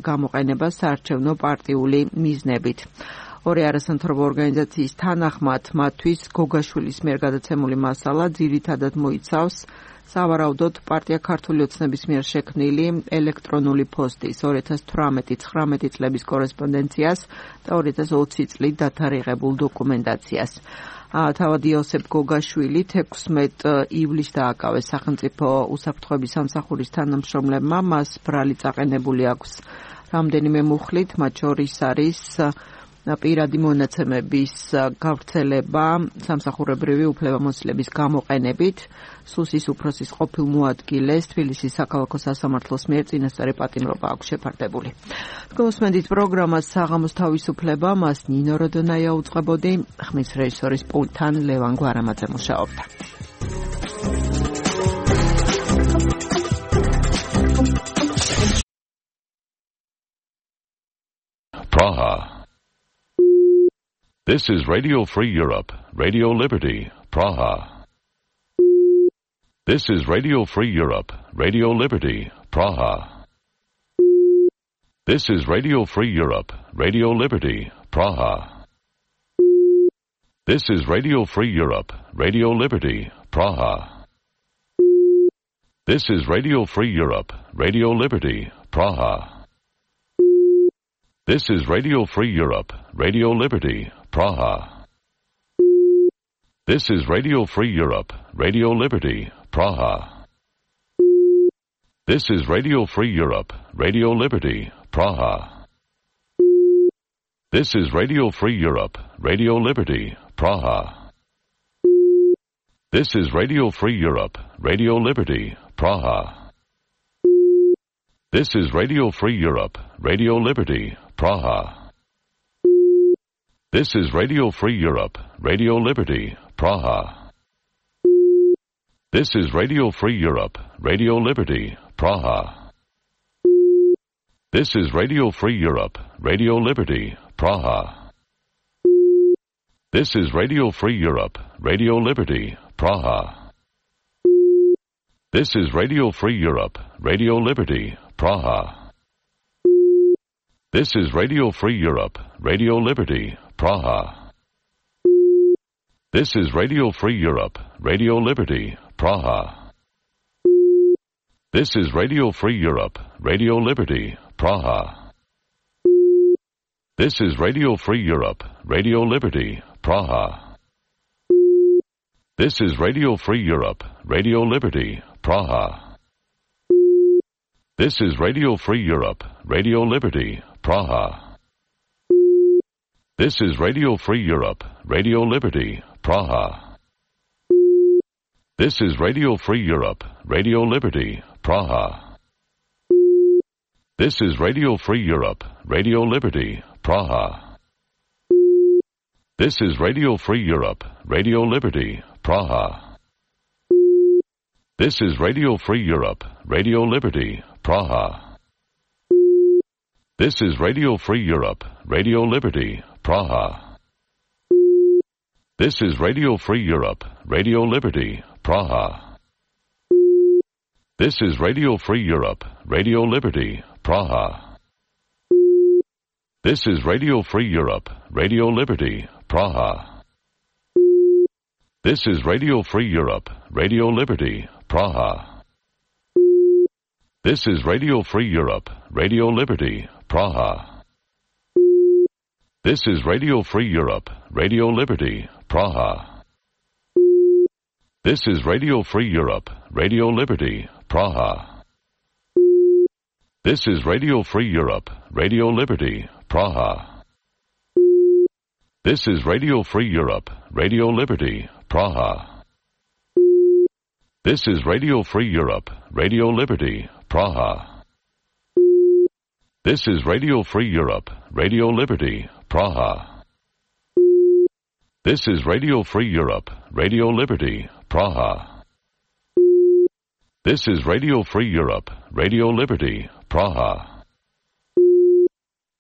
გამოყენება საარჩევნო პარტიული მიზნებით. ორი არასამთავრობო ორგანიზაციის თანახმად, მათთვის გოგაშვილის მიერ გადაცემული მასალა ძირითადად მოიცავს სავარაუდოდ პარტია ქართული ოცნების მიერ შექმნილი ელექტრონული პოსტის 2018-19 წლების კორესპონდენციას და 2020 წლით დათარიღებულ დოკუმენტაციას. თავად იოსებ გოგაშვილი 16 ივლისს დააკავეს სახელმწიფო უსაფრთხოების სამსახურის თანამშრომლებმა, მას ბრალი წაყენებული აქვს რამდენიმე მუხლით, მათ შორის არის პირადი მონაცემების გავრცელება სამსახურებრივი უფლებამოსილების გამოყენებით, სუსის უფროსის ყოფილ მოადგილეს თბილისის საქალაქო სასამართლოს მიერ წინასწარი პატიმრობა აქვს შეფარდებული. გოსმენდით პროგრამას საღამოს თავისუფლება, მას ნინო როდონაია უწყებოდი, ხმის რეჟისორის პულტთან ლევან გვარამაძე მუშაობდა. Praha. This is Radio Free Europe, Radio Liberty, Praha. This is Radio Free Europe, Radio Liberty, Praha. This is Radio Free Europe, Radio Liberty, Praha. This is Radio Free Europe, Radio Liberty, Praha. This is Radio Free Europe, Radio Liberty, Praha. This is Radio Free Europe, Radio Liberty, Praha. This is Radio Free Europe, Radio Liberty, Praha. This is Radio Free Europe, Radio Liberty, Praha. This is Radio Free Europe, Radio Liberty, Praha. This is Radio Free Europe, Radio Liberty, Praha. This is Radio Free Europe, Radio Liberty, Praha. This is Radio Free Europe, Radio Liberty, Praha. This is Radio Free Europe, Radio Liberty, Praha. This is Radio Free Europe, Radio Liberty, Praha. This is Radio Free Europe, Radio Liberty, Praha. This is Radio Free Europe, Radio Liberty, Praha. This is Radio Free Europe, Radio Liberty, Praha. This is Radio Free Europe, Radio Liberty, Praha. This is Radio Free Europe, Radio Liberty, Praha. This is Radio Free Europe, Radio Liberty, Praha. This is Radio Free Europe, Radio Liberty, Praha. This is Radio Free Europe, Radio Liberty, Praha. This is Radio Free Europe, Radio Liberty, Praha. This is Radio Free Europe, Radio Liberty, Praha. This is Radio Free Europe, Radio Liberty, Praha. This is Radio Free Europe, Radio Liberty, Praha. This is Radio Free Europe, Radio Liberty, Praha. This is Radio Free Europe, Radio Liberty, Praha. This is Radio Free Europe, Radio Liberty, Praha. This is Radio Free Europe, Radio Liberty, Praha. This is Radio Free Europe, Radio Liberty, Praha. This is Radio Free Europe, Radio Liberty, Praha. This is Radio Free Europe, Radio Liberty, Praha. This is Radio Free Europe, Radio Liberty, Praha. This is Radio Free Europe, Radio Liberty, Praha. This is Radio Free Europe, Radio Liberty, Praha. This is Radio Free Europe, Radio Liberty, Praha. This is Radio Free Europe, Radio Liberty, Praha. This is Radio Free Europe, Radio Liberty, Praha. This is Radio Free Europe, Radio Liberty, Praha. This is Radio Free Europe, Radio Liberty, Praha.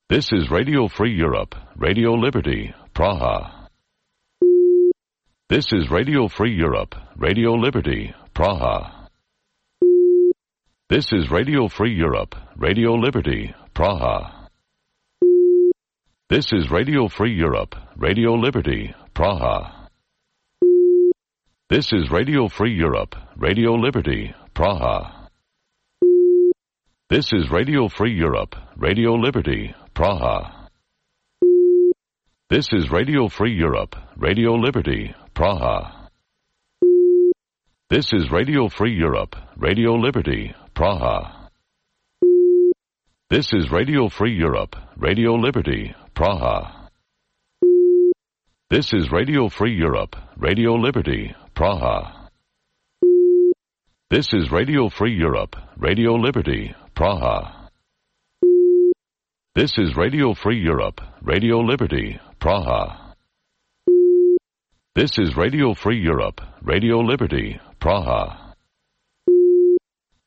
This is Radio Free Europe, Radio Liberty, Praha. This is Radio Free Europe, Radio Liberty, Praha. This is Radio Free Europe, Radio Liberty, Praha. This is Radio Free Europe, Radio Liberty, Praha. This is Radio Free Europe, Radio Liberty, Praha. This is Radio Free Europe, Radio Liberty, Praha. This is Radio Free Europe, Radio Liberty, Praha. This is Radio Free Europe, Radio Liberty, Praha. This is Radio Free Europe, Radio Liberty, Praha. This is Radio Free Europe, Radio Liberty, Praha. This is Radio Free Europe, Radio Liberty, Praha. This is Radio Free Europe, Radio Liberty, Praha. This is Radio Free Europe, Radio Liberty, Praha.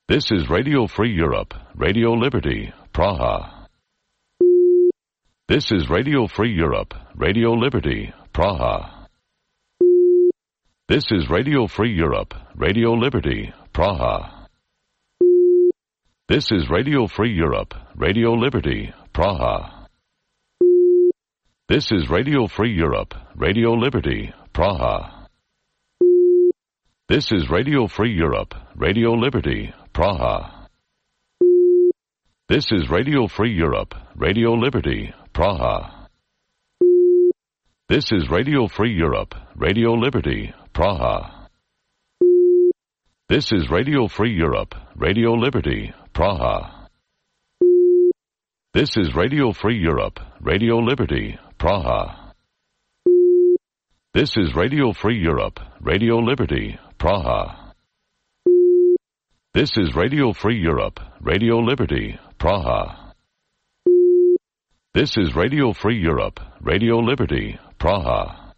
This is Radio Free Europe, Radio Liberty, Praha. This is Radio Free Europe, Radio Liberty, Praha. This is Radio Free Europe, Radio Liberty, Praha. This is Radio Free Europe, Radio Liberty, Praha. This is Radio Free Europe, Radio Liberty, Praha. This is Radio Free Europe, Radio Liberty, Praha. This is Radio Free Europe, Radio Liberty, Praha. This is Radio Free Europe, Radio Liberty, Praha. This is Radio Free Europe, Radio Liberty, Praha. This is Radio Free Europe, Radio Liberty, Praha. This is Radio Free Europe, Radio Liberty, Praha. This is Radio Free Europe, Radio Liberty, Praha. This is Radio Free Europe, Radio Liberty, Praha.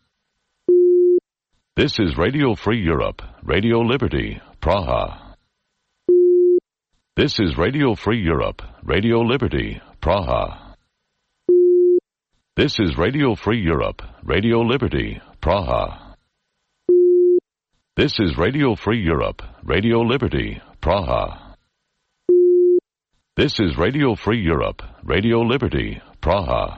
This is Radio Free Europe, Radio Liberty, Praha. This is Radio Free Europe, Radio Liberty, Praha. This is Radio Free Europe, Radio Liberty, Praha. This is Radio Free Europe, Radio Liberty, Praha. This is Radio Free Europe, Radio Liberty, Praha.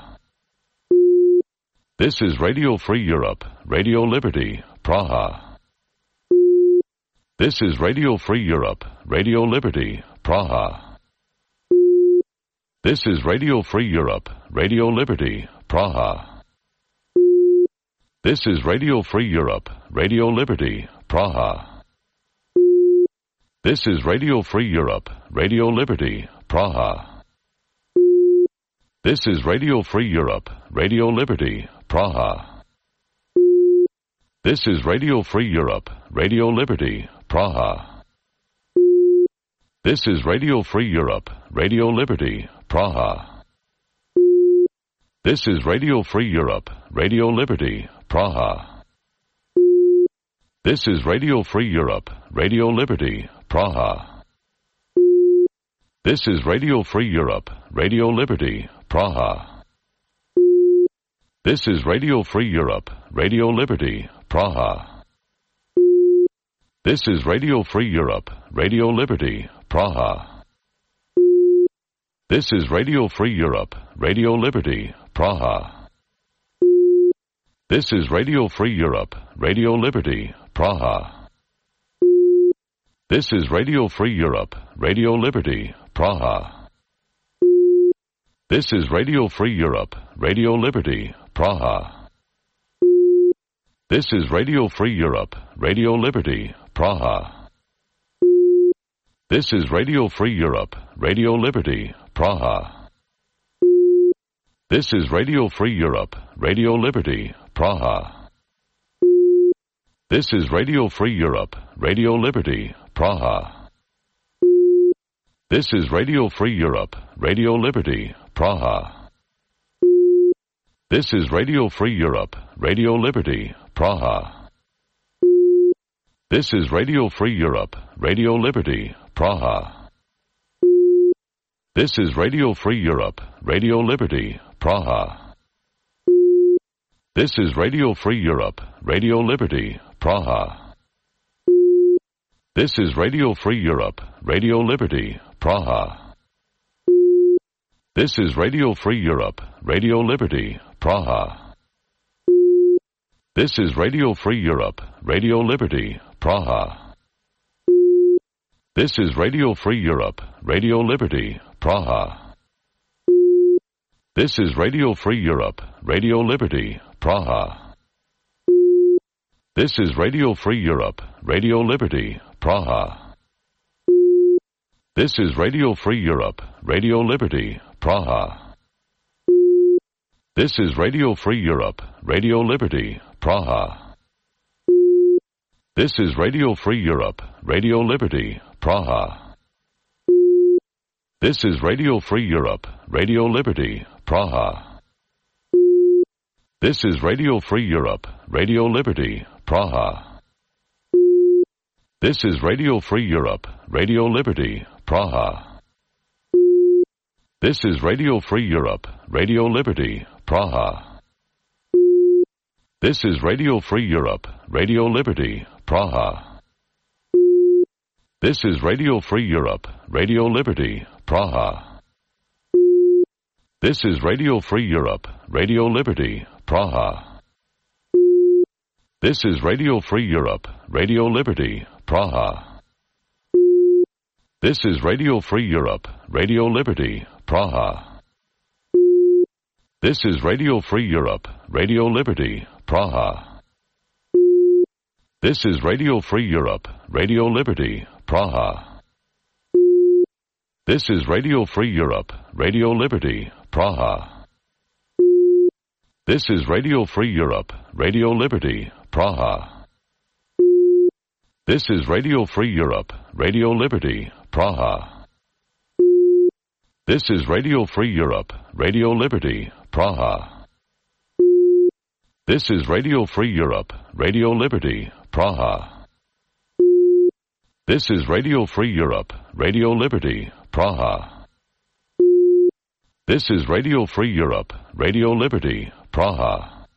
This is Radio Free Europe, Radio Liberty, Praha. This is Radio Free Europe, Radio Liberty, Praha. This is Radio Free Europe, Radio Liberty, Praha. This is Radio Free Europe, Radio Liberty, Praha. This is Radio Free Europe, Radio Liberty, Praha. This is Radio Free Europe, Radio Liberty, Praha. This is Radio Free Europe, Radio Liberty, Praha. This is Radio Free Europe, Radio Liberty, Praha. This is Radio Free Europe, Radio Liberty, Praha. This is Radio Free Europe, Radio Liberty, Praha. This is Radio Free Europe, Radio Liberty, Praha. This is Radio Free Europe, Radio Liberty, Praha. This is Radio Free Europe, Radio Liberty, Praha. This is Radio Free Europe, Radio Liberty, Praha. This is Radio Free Europe, Radio Liberty, Praha. This is Radio Free Europe, Radio Liberty, Praha. This is Radio Free Europe, Radio Liberty, Praha. This is Radio Free Europe, Radio Liberty, Praha. This is Radio Free Europe, Radio Liberty, Praha. This is Radio Free Europe, Radio Liberty, Praha. This is Radio Free Europe, Radio Liberty, Praha. This is Radio Free Europe, Radio Liberty, Praha. This is Radio Free Europe, Radio Liberty, Praha. This is Radio Free Europe, Radio Liberty, Praha. This is Radio Free Europe, Radio Liberty, Praha. This is Radio Free Europe, Radio Liberty, Praha. This is Radio Free Europe, Radio Liberty, Praha. This is Radio Free Europe, Radio Liberty, Praha. This is Radio Free Europe, Radio Liberty, Praha. This is Radio Free Europe, Radio Liberty, Praha. This is Radio Free Europe, Radio Liberty, Praha. This is Radio Free Europe, Radio Liberty, Praha. This is Radio Free Europe, Radio Liberty, Praha. This is Radio Free Europe, Radio Liberty, Praha. This is Radio Free Europe, Radio Liberty, Praha. This is Radio Free Europe, Radio Liberty, Praha. This is Radio Free Europe, Radio Liberty, Praha. This is Radio Free Europe, Radio Liberty, Praha. This is Radio Free Europe, Radio Liberty, Praha. This is Radio Free Europe, Radio Liberty, Praha. This is Radio Free Europe, Radio Liberty, Praha. This is Radio Free Europe, Radio Liberty, Praha. This is Radio Free Europe, Radio Liberty, Praha. This is Radio Free Europe, Radio Liberty, Praha. This is Radio Free Europe, Radio Liberty, Praha. This is Radio Free Europe, Radio Liberty, Praha. This is Radio Free Europe, Radio Liberty, Praha. This is Radio Free Europe, Radio Liberty, Praha. This is Radio Free Europe, Radio Liberty, Praha. This is Radio Free Europe, Radio Liberty, Praha. This is Radio Free Europe, Radio Liberty, Praha. This is Radio Free Europe, Radio Liberty, Praha. This is Radio Free Europe, Radio Liberty, Praha.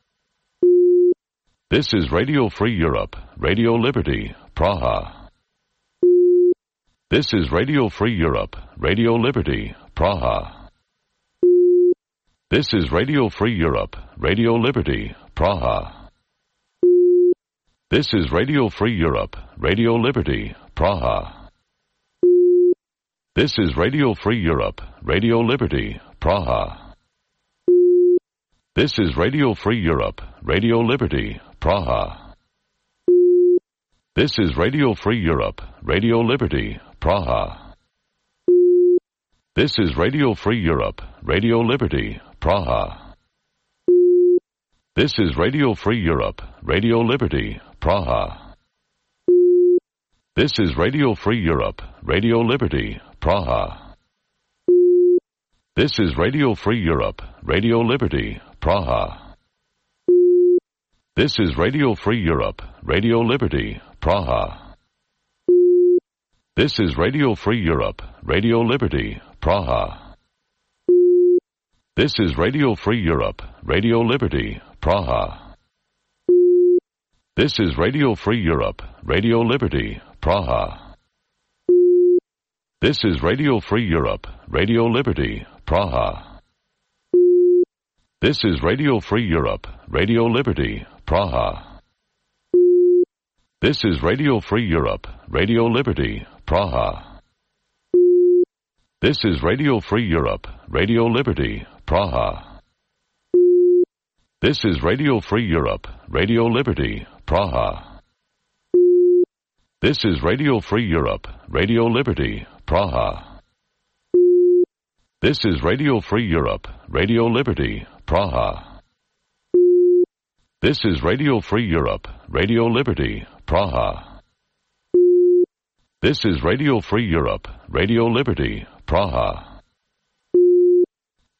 This is Radio Free Europe, Radio Liberty, Praha. This is Radio Free Europe, Radio Liberty, Praha. This is Radio Free Europe, Radio Liberty, Praha. This is Radio Free Europe, Radio Liberty, Praha. This is Radio Free Europe, Radio Liberty, Praha. This is Radio Free Europe, Radio Liberty, Praha. This is Radio Free Europe, Radio Liberty, Praha. This is Radio Free Europe, Radio Liberty, Praha. This is Radio Free Europe, Radio Liberty, Praha. This is Radio Free Europe, Radio Liberty, Praha. This is Radio Free Europe, Radio Liberty, Praha. This is Radio Free Europe, Radio Liberty, Praha. This is Radio Free Europe, Radio Liberty, Praha. This is Radio Free Europe, Radio Liberty, Praha. This is Radio Free Europe, Radio Liberty, Praha. This is Radio Free Europe, Radio Liberty, Praha. This is Radio Free Europe, Radio Liberty, Praha. This is Radio Free Europe, Radio Liberty, Praha. This is Radio Free Europe, Radio Liberty, Praha. This is Radio Free Europe, Radio Liberty, Praha. This is Radio Free Europe, Radio Liberty, Praha. This is Radio Free Europe, Radio Liberty, Praha. This is Radio Free Europe, Radio Liberty, Praha. This is Radio Free Europe, Radio Liberty, Praha.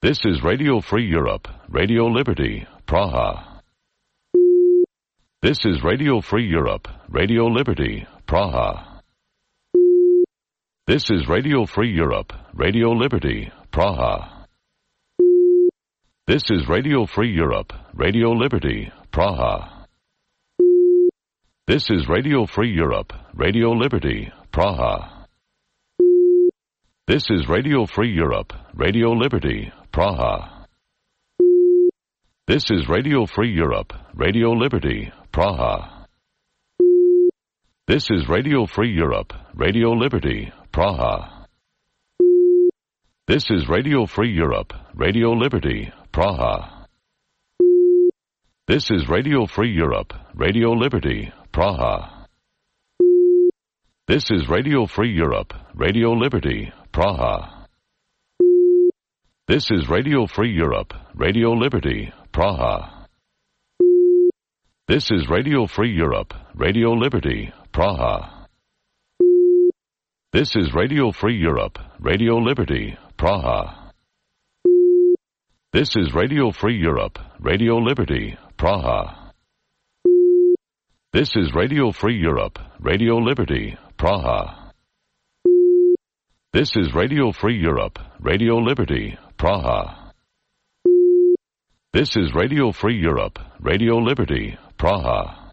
This is Radio Free Europe, Radio Liberty, Praha. This is Radio Free Europe, Radio Liberty, Praha. This is Radio Free Europe, Radio Liberty, Praha. This is Radio Free Europe, Radio Liberty, Praha. This is Radio Free Europe, Radio Liberty, Praha. This is Radio Free Europe, Radio Liberty, Praha. This is Radio Free Europe, Radio Liberty, Praha. This is Radio Free Europe, Radio Liberty, Praha. This is Radio Free Europe, Radio Liberty, Praha. This is Radio Free Europe, Radio Liberty, Praha. This is Radio Free Europe, Radio Liberty, Praha. This is Radio Free Europe, Radio Liberty, Praha. This is Radio Free Europe, Radio Liberty, Praha. This is Radio Free Europe, Radio Liberty, Praha. This is Radio Free Europe, Radio Liberty, Praha. This is Radio Free Europe, Radio Liberty, Praha. This is Radio Free Europe, Radio Liberty, Praha. This is Radio Free Europe, Radio Liberty, Praha.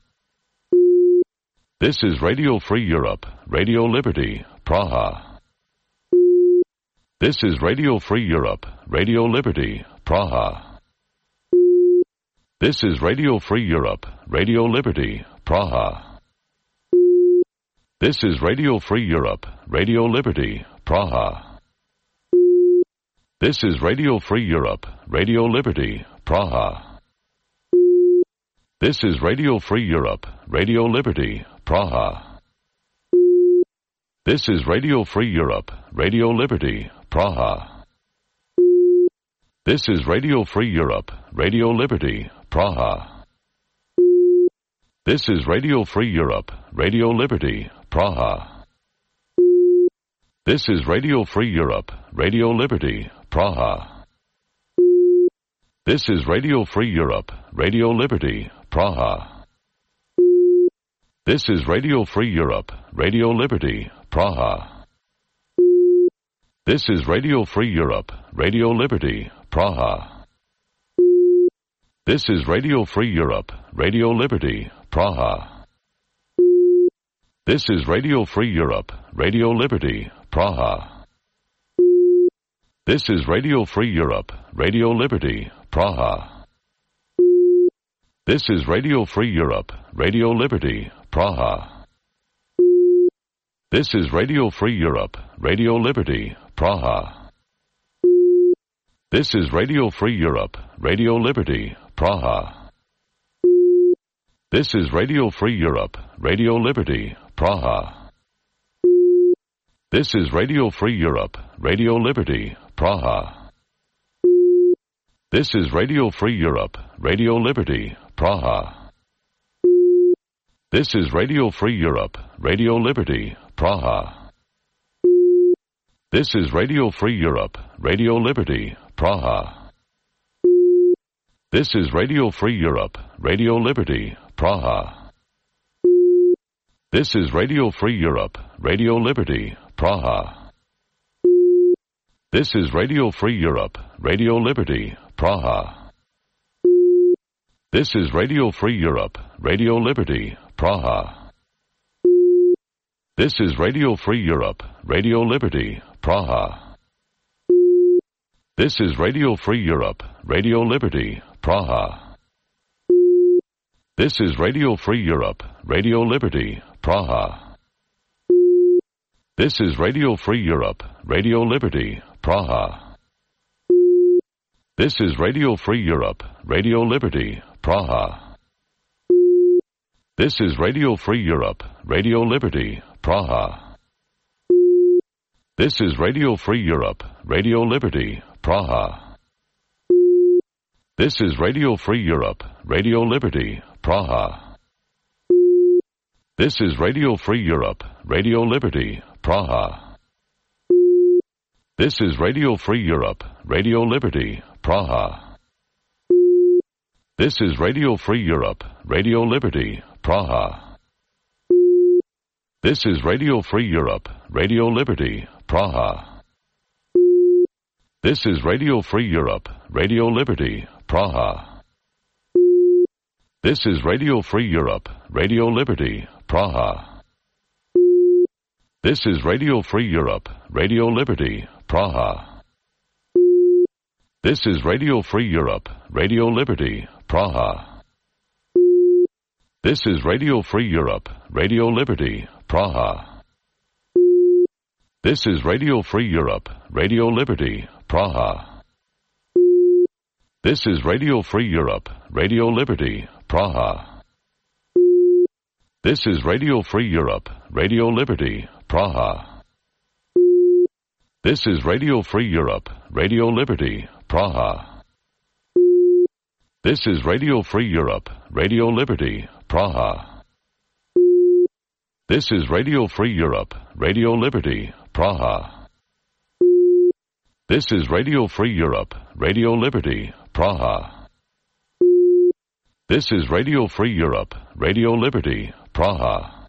This is Radio Free Europe, Radio Liberty, Praha. This is Radio Free Europe, Radio Liberty, Praha. This is Radio Free Europe, Radio Liberty, Praha. This is Radio Free Europe, Radio Liberty, Praha. This is Radio Free Europe, Radio Liberty, Praha. This is Radio Free Europe, Radio Liberty, Praha. This is Radio Free Europe, Radio Liberty, Praha. This is Radio Free Europe, Radio Liberty, Praha. This is Radio Free Europe, Radio Liberty, Praha. This is Radio Free Europe, Radio Liberty, Praha. This is Radio Free Europe, Radio Liberty, Praha. This is Radio Free Europe, Radio Liberty, Praha. This is Radio Free Europe, Radio Liberty, Praha. This is Radio Free Europe, Radio Liberty, Praha. This is Radio Free Europe, Radio Liberty, Praha. This is Radio Free Europe, Radio Liberty, Praha. This is Radio Free Europe, Radio Liberty, Praha. This is Radio Free Europe, Radio Liberty, Praha. This is Radio Free Europe, Radio Liberty, Praha. This is Radio Free Europe, Radio Liberty, Praha. This is Radio Free Europe, Radio Liberty, Praha. This is Radio Free Europe, Radio Liberty, Praha. This is Radio Free Europe, Radio Liberty, Praha. This is Radio Free Europe, Radio Liberty, Praha. This is Radio Free Europe, Radio Liberty, Praha. This is Radio Free Europe, Radio Liberty, Praha. This is Radio Free Europe, Radio Liberty, Praha. This is Radio Free Europe, Radio Liberty, Praha. This is Radio Free Europe, Radio Liberty, Praha. This is Radio Free Europe, Radio Liberty, Praha. This is Radio Free Europe, Radio Liberty, Praha. This is Radio Free Europe, Radio Liberty, Praha. This is Radio Free Europe, Radio Liberty, Praha. This is Radio Free Europe, Radio Liberty, Praha. This is Radio Free Europe, Radio Liberty, Praha. This is Radio Free Europe, Radio Liberty, Praha. This is Radio Free Europe, Radio Liberty, Praha. This is Radio Free Europe, Radio Liberty, Praha. This is Radio Free Europe, Radio Liberty, Praha. This is Radio Free Europe, Radio Liberty, Praha. This is Radio Free Europe, Radio Liberty, Praha. This is Radio Free Europe, Radio Liberty, Praha. This is Radio Free Europe, Radio Liberty, Praha. This is Radio Free Europe, Radio Liberty, Praha. This is Radio Free Europe, Radio Liberty, Praha. This is Radio Free Europe, Radio Liberty, Praha. This is Radio Free Europe, Radio Liberty, Praha. This is Radio Free Europe, Radio Liberty, Praha. This is Radio Free Europe, Radio Liberty, Praha. This is Radio Free Europe, Radio Liberty, Praha. This is Radio Free Europe, Radio Liberty, Praha. This is Radio Free Europe, Radio Liberty, Praha. This is Radio Free Europe, Radio Liberty, Praha.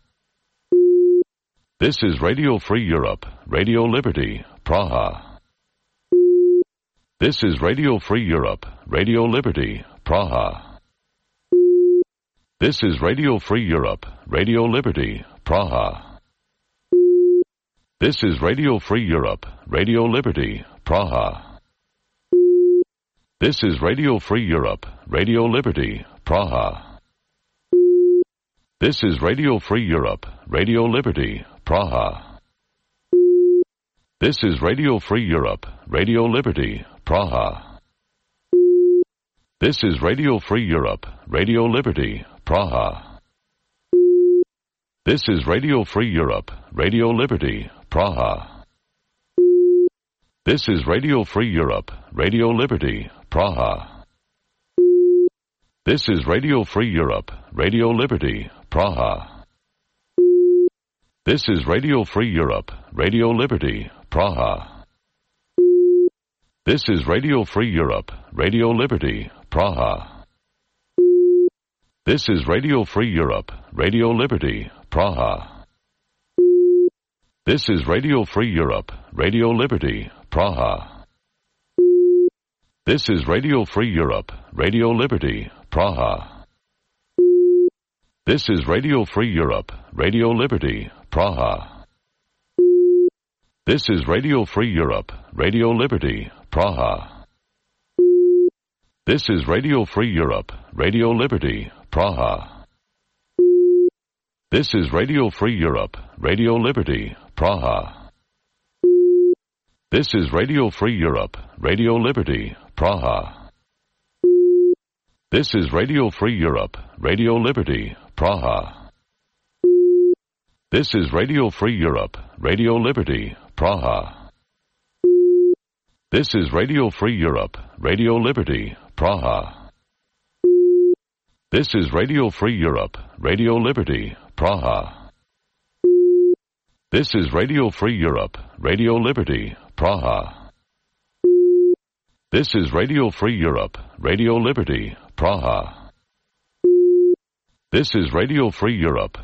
This is Radio Free Europe, Radio Liberty, Praha. This is Radio Free Europe, Radio Liberty, Praha. This is Radio Free Europe, Radio Liberty, Praha. This is Radio Free Europe, Radio Liberty, Praha. This is Radio Free Europe, Radio Liberty, Praha. This is Radio Free Europe, Radio Liberty, Praha. This is Radio Free Europe, Radio Liberty, Praha. This is Radio Free Europe, Radio Liberty, Praha. This is Radio Free Europe, Radio Liberty, Praha. This is Radio Free Europe, Radio Liberty, Praha. This is Radio Free Europe, Radio Liberty, Praha. This is Radio Free Europe, Radio Liberty, Praha. This is Radio Free Europe, Radio Liberty, Praha. This is Radio Free Europe, Radio Liberty, Praha. This is Radio Free Europe, Radio Liberty, Praha. This is Radio Free Europe, Radio Liberty, Praha. This is Radio Free Europe, Radio Liberty, Praha. This is Radio Free Europe, Radio Liberty, Praha. This is Radio Free Europe, Radio Liberty, Praha. This is Radio Free Europe, Radio Liberty, Praha. This is Radio Free Europe, Radio Liberty, Praha. This is Radio Free Europe, Radio Liberty, Praha. This is Radio Free Europe, Radio Liberty, Praha. This is Radio Free Europe, Radio Liberty, Praha. This is Radio Free Europe, Radio Liberty, Praha. This is Radio Free Europe, Radio Liberty, Praha. This is Radio Free Europe, Radio Liberty, Praha. This is Radio Free Europe, Radio Liberty, Praha. This is Radio Free Europe,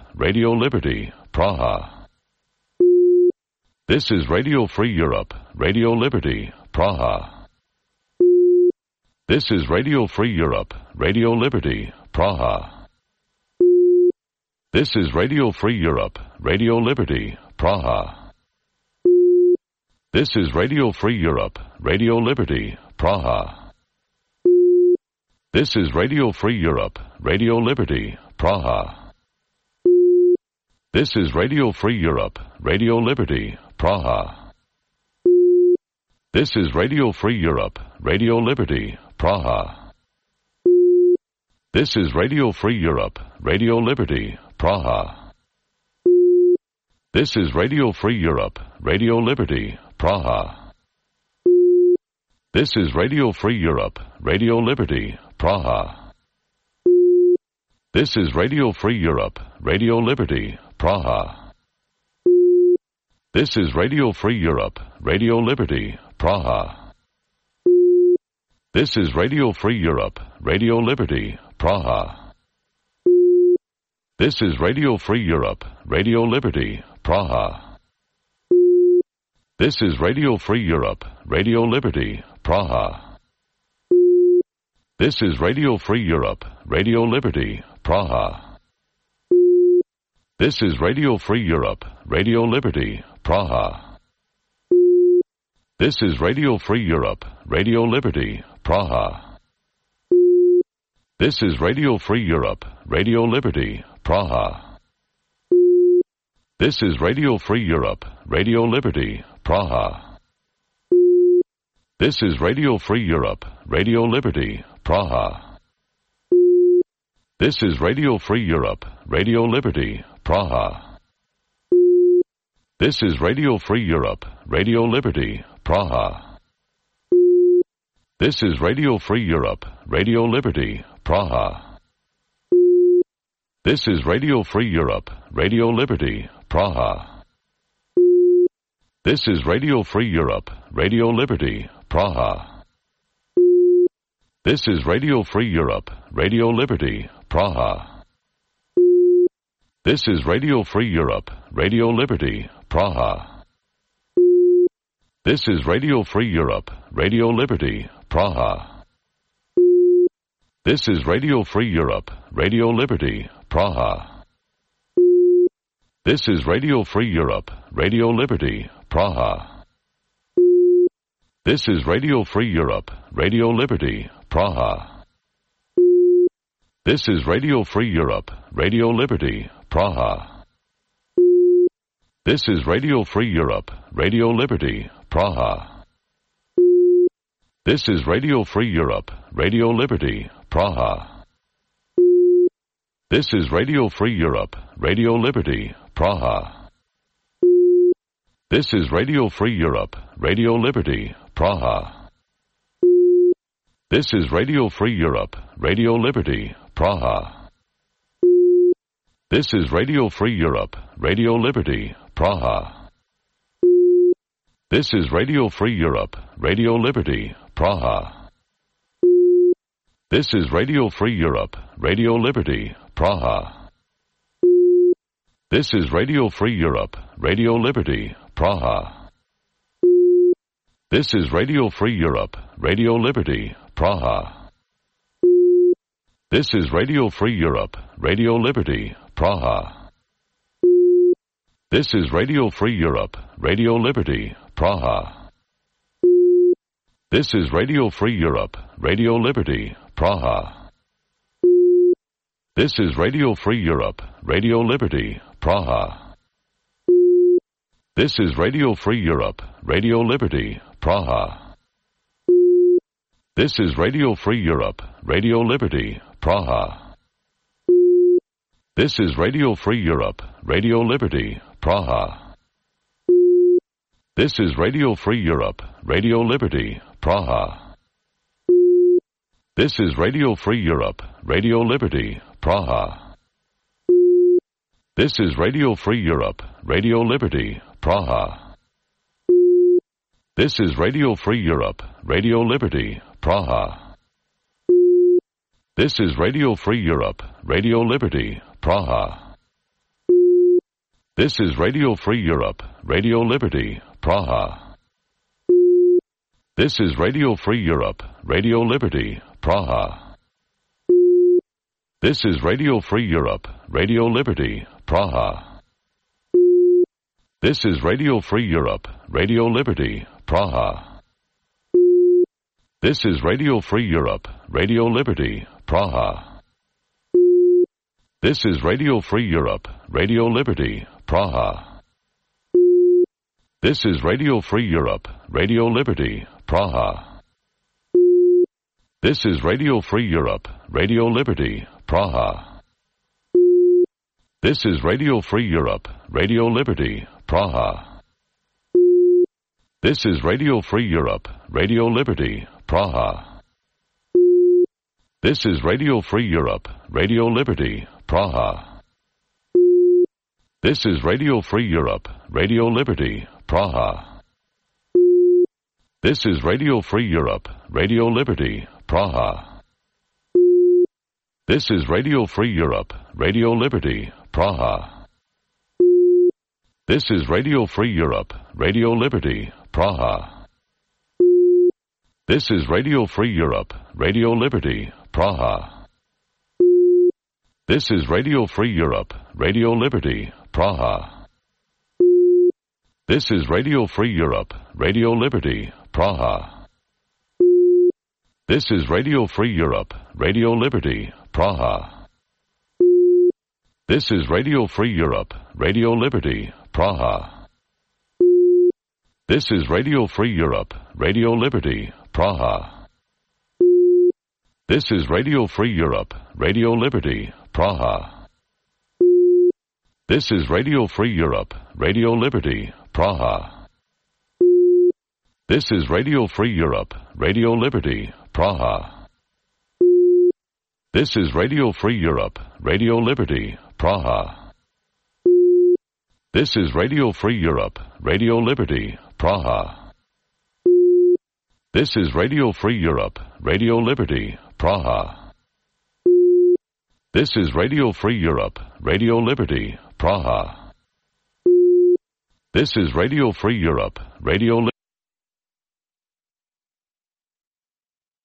Radio Liberty, Praha. This is Radio Free Europe, Radio Liberty, Praha. This is Radio Free Europe, Radio Liberty, Praha. This is Radio Free Europe, Radio Liberty, Praha. This is Radio Free Europe, Radio Liberty, Praha. This is Radio Free Europe, Radio Liberty, Praha. This is Radio Free Europe, Radio Liberty, Praha. This is Radio Free Europe, Radio Liberty, Praha. This is Radio Free Europe, Radio Liberty, Praha. This is Radio Free Europe, Radio Liberty, Praha. This is Radio Free Europe, Radio Liberty, Praha. This is Radio Free Europe, Radio Liberty, Praha. This is Radio Free Europe, Radio Liberty, Praha. This is Radio Free Europe, Radio Liberty, Praha. This is Radio Free Europe, Radio Liberty, Praha. This is Radio Free Europe, Radio Liberty, Praha. This is Radio Free Europe, Radio Liberty, Praha. This is Radio Free Europe, Radio Liberty, Praha. This is Radio Free Europe, Radio Liberty, Praha. This is Radio Free Europe, Radio Liberty, Praha. This is Radio Free Europe, Radio Liberty, Praha. This is Radio Free Europe, Radio Liberty, Praha. This is Radio Free Europe, Radio Liberty, Praha. This is Radio Free Europe, Radio Liberty, Praha. This is Radio Free Europe, Radio Liberty, Praha. This is Radio Free Europe, Radio Liberty, Praha. This is Radio Free Europe, Radio Liberty, Praha. This is Radio Free Europe, Radio Liberty, Praha. This is Radio Free Europe, Radio Liberty, Praha. This is Radio Free Europe, Radio Liberty, Praha. This is Radio Free Europe, Radio Liberty, Praha. This is Radio Free Europe, Radio Liberty, Praha. This is Radio Free Europe, Radio Liberty, Praha. This is Radio Free Europe, Radio Liberty, Praha. This is Radio Free Europe, Radio Liberty, Praha. This is Radio Free Europe, Radio Liberty, Praha. This is Radio Free Europe, Radio Liberty, Praha. This is Radio Free Europe, Radio Liberty, Praha. This is Radio Free Europe, Radio Liberty, Praha. This is Radio Free Europe, Radio Liberty, Praha. This is Radio Free Europe, Radio Liberty, Praha. This is Radio Free Europe, Radio Liberty, Praha. This is Radio Free Europe, Radio Liberty, Praha. This is Radio Free Europe, Radio Liberty, Praha. This is Radio Free Europe, Radio Liberty, Praha. This is Radio Free Europe, Radio Liberty, Praha. This is Radio Free Europe, Radio Liberty, Praha. This is Radio Free Europe, Radio Liberty, Praha. This is Radio Free Europe, Radio Liberty, Praha. This is Radio Free Europe, Radio Liberty, Praha. This is Radio Free Europe, Radio Liberty, Praha. This is Radio Free Europe, Radio Liberty, Praha. This is Radio Free Europe, Radio Liberty, Praha. This is Radio Free Europe, Radio Liberty, Praha. This is Radio Free Europe, Radio Liberty, Praha. This is Radio Free Europe, Radio Liberty, Praha. This is Radio Free Europe, Radio Liberty, Praha. This is Radio Free Europe, Radio Liberty, Praha. This is Radio Free Europe, Radio Liberty, Praha. This is Radio Free Europe, Radio Liberty, Praha. This is Radio Free Europe, Radio Liberty, Praha. This is Radio Free Europe, Radio Liberty, Praha. This is Radio Free Europe, Radio Liberty, Praha. This is Radio Free Europe, Radio Liberty, Praha. This is Radio Free Europe, Radio Liberty, Praha. This is Radio Free Europe, Radio Liberty, Praha. This is Radio Free Europe, Radio Liberty, Praha. This is Radio Free Europe, Radio Liberty, Praha. This is Radio Free Europe, Radio Liberty, Praha. This is Radio Free Europe, Radio Liberty, Praha. This is Radio Free Europe, Radio Liberty, Praha. This is Radio Free Europe, Radio Liberty, Praha. This is Radio Free Europe, Radio Liberty, Praha. This is Radio Free Europe, Radio Liberty, Praha. This is Radio Free Europe, Radio Liberty, Praha. This is Radio Free Europe, Radio Liberty, Praha. This is Radio Free Europe, Radio Liberty, Praha. This is Radio Free Europe, Radio Liberty, Praha. This is Radio Free Europe, Radio Liberty, Praha. This is Radio Free Europe, Radio Liberty, Praha. This is Radio Free Europe, Radio Liberty, Praha. This is Radio Free Europe, Radio Liberty, Praha. This is Radio Free Europe, Radio Liberty, Praha. This is Radio Free Europe, Radio